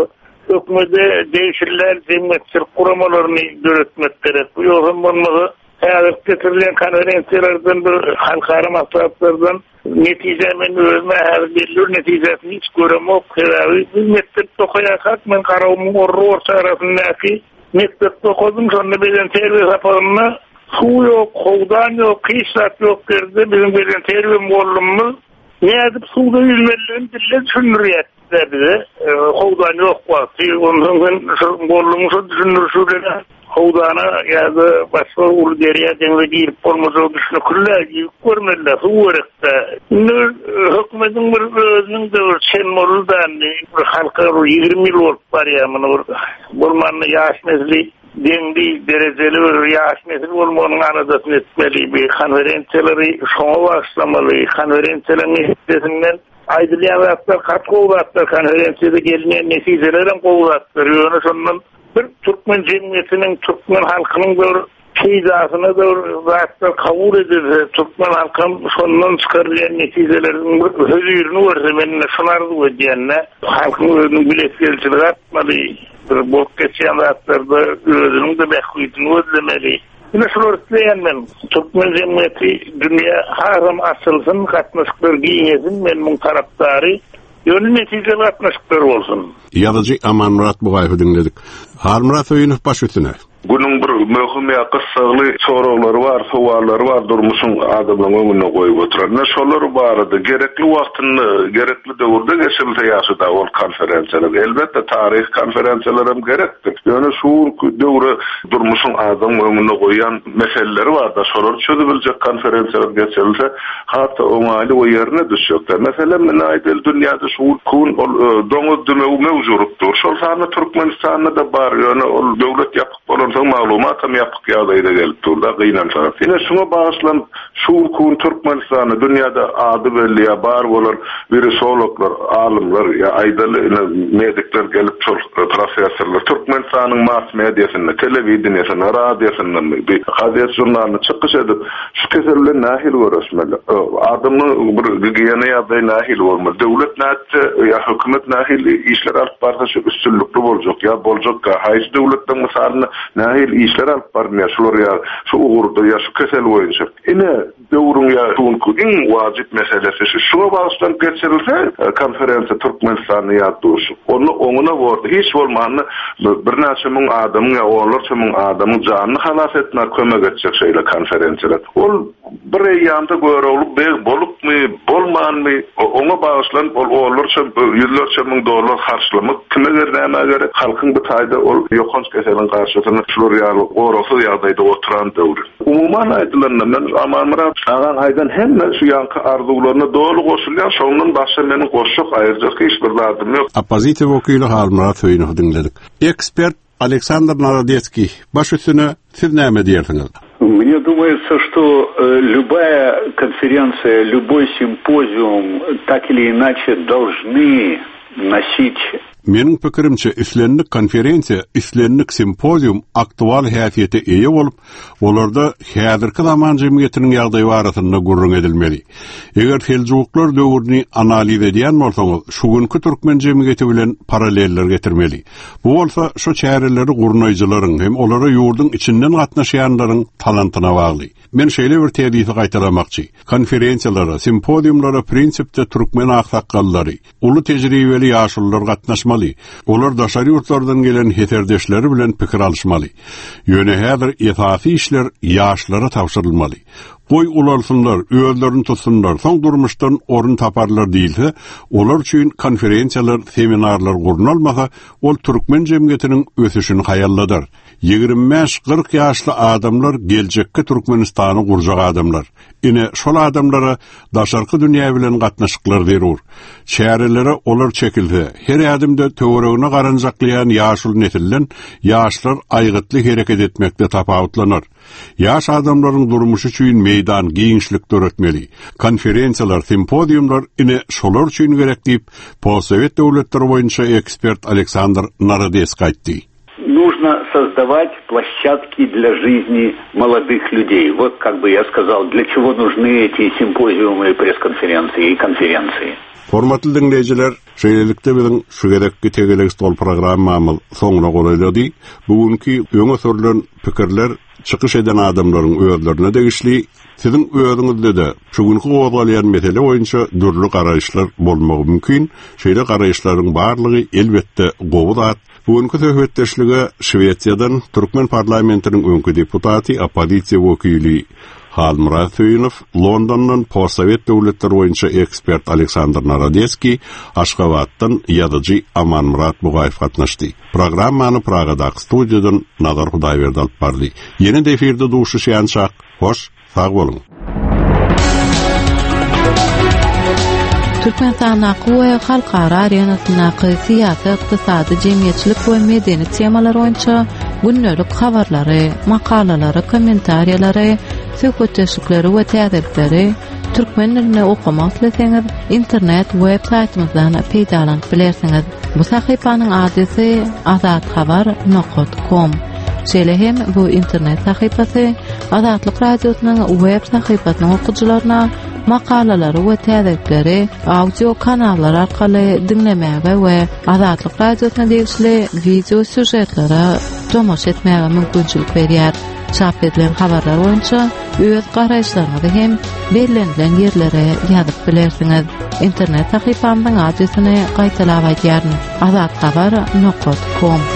hökümete degişli däl jemgyýetçilik guramalaryny döretmek gerek. Bu ýogsam bolmasa, häzirki geçirilýän konferensiýalardan bir halkara maslahatlardan netije men özüm-ä häzir belli bir netijesini hiç göremok. Sebäbi biz mekdepde okaýarkak men Garagumuň orra-orta arasyndaky Mekdepde okadym, şonda bedenterbiýe sapagynda suw ýok, howdan ýok, hiç zat ýok ýerde biziň bedenterbiýe mugallymymyz nädip suwda ýüzmelidigini dille düşündirýärdi bize. Howdan ýok wagty. Onsoň sen şol mugallymyň şol düşündirişi bilen howdana ýa-da başga uly derýa, deňze girip bolmajagy düşnükli-dä, ýüzüp görmeli-dä, suw gerek-dä. Indi bir hökümetiň bir özüniň-de bir çen boldy-da indi, bir halka bir 20 ýyl bolup barýar muny bir Bolmanda ýaş nesli. deňli, derejeli bir ýaş nesil bolmagynyň aladasyny etmeli. Bir konferensiýalary şoňa bagyşlamaly. Konferensiýalaryň netijesinden aýdylýan zatlar gaty gowy zatlar, konferensiýada gelinýän netijeler hem gowy zatlar. Ýöne şondan bir türkmen jemgyýetiniň, türkmen halkynyň bir peýdasyna bir zatlar kabul edilse, türkmen halkam şondan çykarylýan netijeleriň bir hözirini görse, men ine şuny arzuw edýän-de. Halkyň özüniň bilesigelijiligi artmaly, bir bolup geçýän zatlarda özüniň-de bähbidini gözlemeli. Ine şulary isleýän men. Türkmen jemgyýeti dünýä hasam açylsyn, gatnaşyklar giňesin, men muň tarapdary. Ýöne netijeli gatnaşyklar bolsun. Ýazyjy Amanmyrat Bugaýewi diňledik. Halmyrat Söýünow baş üstüne. Günüň bir möhüm ýa gyssagly soraglary bar, sowallary bar durmuşyň adamlaryň öňünde goýup oturan. Ine şolar barada gerekli wagtynda, gerekli döwürde geçirilse ýagşy-da ol konferensiýalar. Elbetde taryhy konferensiýalar hem gerekdir. Ýöne şu günki döwre durmuşyň adamyň öňünde goýýan meseleleri bar-da, şolary çözübiljek konferensiýalar geçirilse has-da oňaýly we ýerine düşjekdir. Meselem, ine aýdaly dünýäde şu gün ol doňuz dümewi möwç urup dur. Şol sanda Türkmenistanda-da bar, ýöne ol döwlet ýapyk bolansoň maglumatam ýapyk ýagdaýda gelip dur-da, gynansaňam. Ine şuňa bagyşlanyp şu günki gün Türkmenistanda dünýäde ady belli ýa bar bolan wirusologlar, alymlar ýa aýdaly ine medikler gelip şol professorlar Türkmenistanyň mass mediasynda, telewideniýesinde, radiosynda, bir gazet-žurnalynda çykyş edip, Şu kesel bilen nähili göreşmeli? Adamyň bir gigiýena ýagdaýy nähili bolmaly? Döwlet nätse ýa hökümet nähili işler alyp barsa şu üstünlikli boljak ýa boljakka? Haýsy döwletleriň mysalynda nähili işler alyp barynýar şular ýa şu ugurda ýa şu kesel boýunça? Ine, döwrüň ýa şu günki iň wajyp meselesi şu. Şuňa bagyşlanyp geçirilse konferensiýa Türkmenistanda ýa duşuşyk, onda oňuna bordy. Hiç bolmanda Birnäçe müň adamyň ýa onlarça müň adamyň janyny halas etmäge kömek etjek şeýle konferensiýalar. Ol bir eýýamda Görogly beg bolupmy, bolmanmy, oňa bagyşlanyp ol onlarça, ýüzlerçe müň dollar harçlamak kime ger, nämä gerek? Halkyň bu taýda ol ýokanç keseliň garşysyna şular ýaly goragsyz ýagdaýda oturan döwri. Umuman aýdylanda, men Amanmyrat agaň aýdan hemme şu ýaňky arzuwlaryna doly goşulýan, şondan başga meniň goşjak, aýyrjak hiç bir zadym ýok. Oppozisiýa wekili Halmyrat Söýünowy diňledik. Ekspert Aleksandr Narodetskiý, baş üstüne, siz näme diýersiňiz? Mne думается, что любая конференция, любой симпозиум так или иначе должны носить Meniň pikirimçe, islendik konferensiýa, islendik simpozium aktual häsiýete eýe bolup, olarda häzirki zaman jemgyýetiniň ýagdaýy barasynda gürrüň edilmeli. Eger seljuklar döwrüni analiz edýän bolsaňyz, şu günki türkmen jemgyýeti bilen paralleller getirmeli. Bu bolsa şu çäreleri gurnaýjylaryň hem olara ýurduň içinden gatnaşýanlaryň talantyna bagly. Men şeýle bir tezisi gaýtalamakçy. Konferensiýalara, simpoziumlara prinsipde türkmen aksakgallary, Uly tejribeli ýaşulular gatnaşmaly. Olar daşary ýurtlardan gelen heserdeşleri bilen pikir alyşmaly. Ýöne häzir esasy işler ýaşlara tabşyrylmaly. Goý ulalsynlar, özlerini tutsunlar, soň durmuşdan orun taparlar diýilse, olar üçin konferensiýalar, seminarlar gurnalmasa, ol türkmen jemgyýetiniň ösüşini haýalladar. 25-40 ýaşly adamlar geljekki Türkmenistany gurjak adamlar. Ine, şol adamlara daşarky dünýä bilen gatnaşyklar zerur. Çärelere olar çekilse, her ädimde töweregine garanjaklaýan ýaşuly nesilden ýaşlar aýgytly hereket etmekde tapawutlanar. Ýaş adamlaryň durmuşy üçin meýdan, giňişlik döretmeli. Konferensiýalar, simpoziumlar ine şolar üçin gerek diýip, postsowet döwletleri boýunça ekspert Aleksandr Narodeskiý aýtdy. Нужно создавать площадки для жизни молодых людей. Вот как бы я сказал, для чего нужны эти симпозиумы, пресс-конференции и конференции. Hormatly diňleýjiler, şeýlelikde biziň şu gezekki Tegelek stol programmamyz soňuna golaýlady. Bu günki öňe sürlen pikirler çykyş eden adamlaryň özlerine degişli. Siziň özüňizde-de şu günki gozgalýan mesele boýunça dürli garaýyşlar bolmagy mümkin. Şeýle garaýyşlaryň barlygy elbetde gowy zat. Bu günki söhbetdeşlige Şwesiýadan türkmen parlamentiniň öňki deputaty, oppozisiýa wekili Halmyrat Söýünow, Londondan postsowet döwletleri boýunça ekspert Aleksandr Narodeskiý, Aşgabatdan ýazyjy Amanmyrat Bugaýew gatnaşdy. Programmany Pragadaky studiýadan Nazar Hudaýberdi alyp bardy. Ýene-de efirde duşuşýançak, hoş, Sag boluň. Türkmenistandaky we halkara arenasyndaky syýasy, ykdysady, jemgyýetçilik we medeni temalar boýunça. gündelik habarlary, makalalary, kommentariýalary, söhbetdeşlikleri we täzelikleri türkmen dilinde okamak isleseňiz, internet web saýtymyzdan peýdalanyp bilersiňiz. Bu sahypanyň adresi azathabar nokat kom. Şeýle hem bu internet sahypasy Azatlyk Radiosynyň web sahypasynyň okyjylaryna makalalary we täzelikleri audio kanallar arkaly diňlemäge we Azatlyk Radiosyna degişli wideo sýužetlere tomaşa etmäge mümkinçilik berýär. Çap edilen habarlar boýunça öz garaýyşlaryňyzy hem bellenilen ýerlere ýazyp bilersiňiz. Internet sahypamyzyň adresini gaýtalap aýdýaryn, azathabar nokat kom.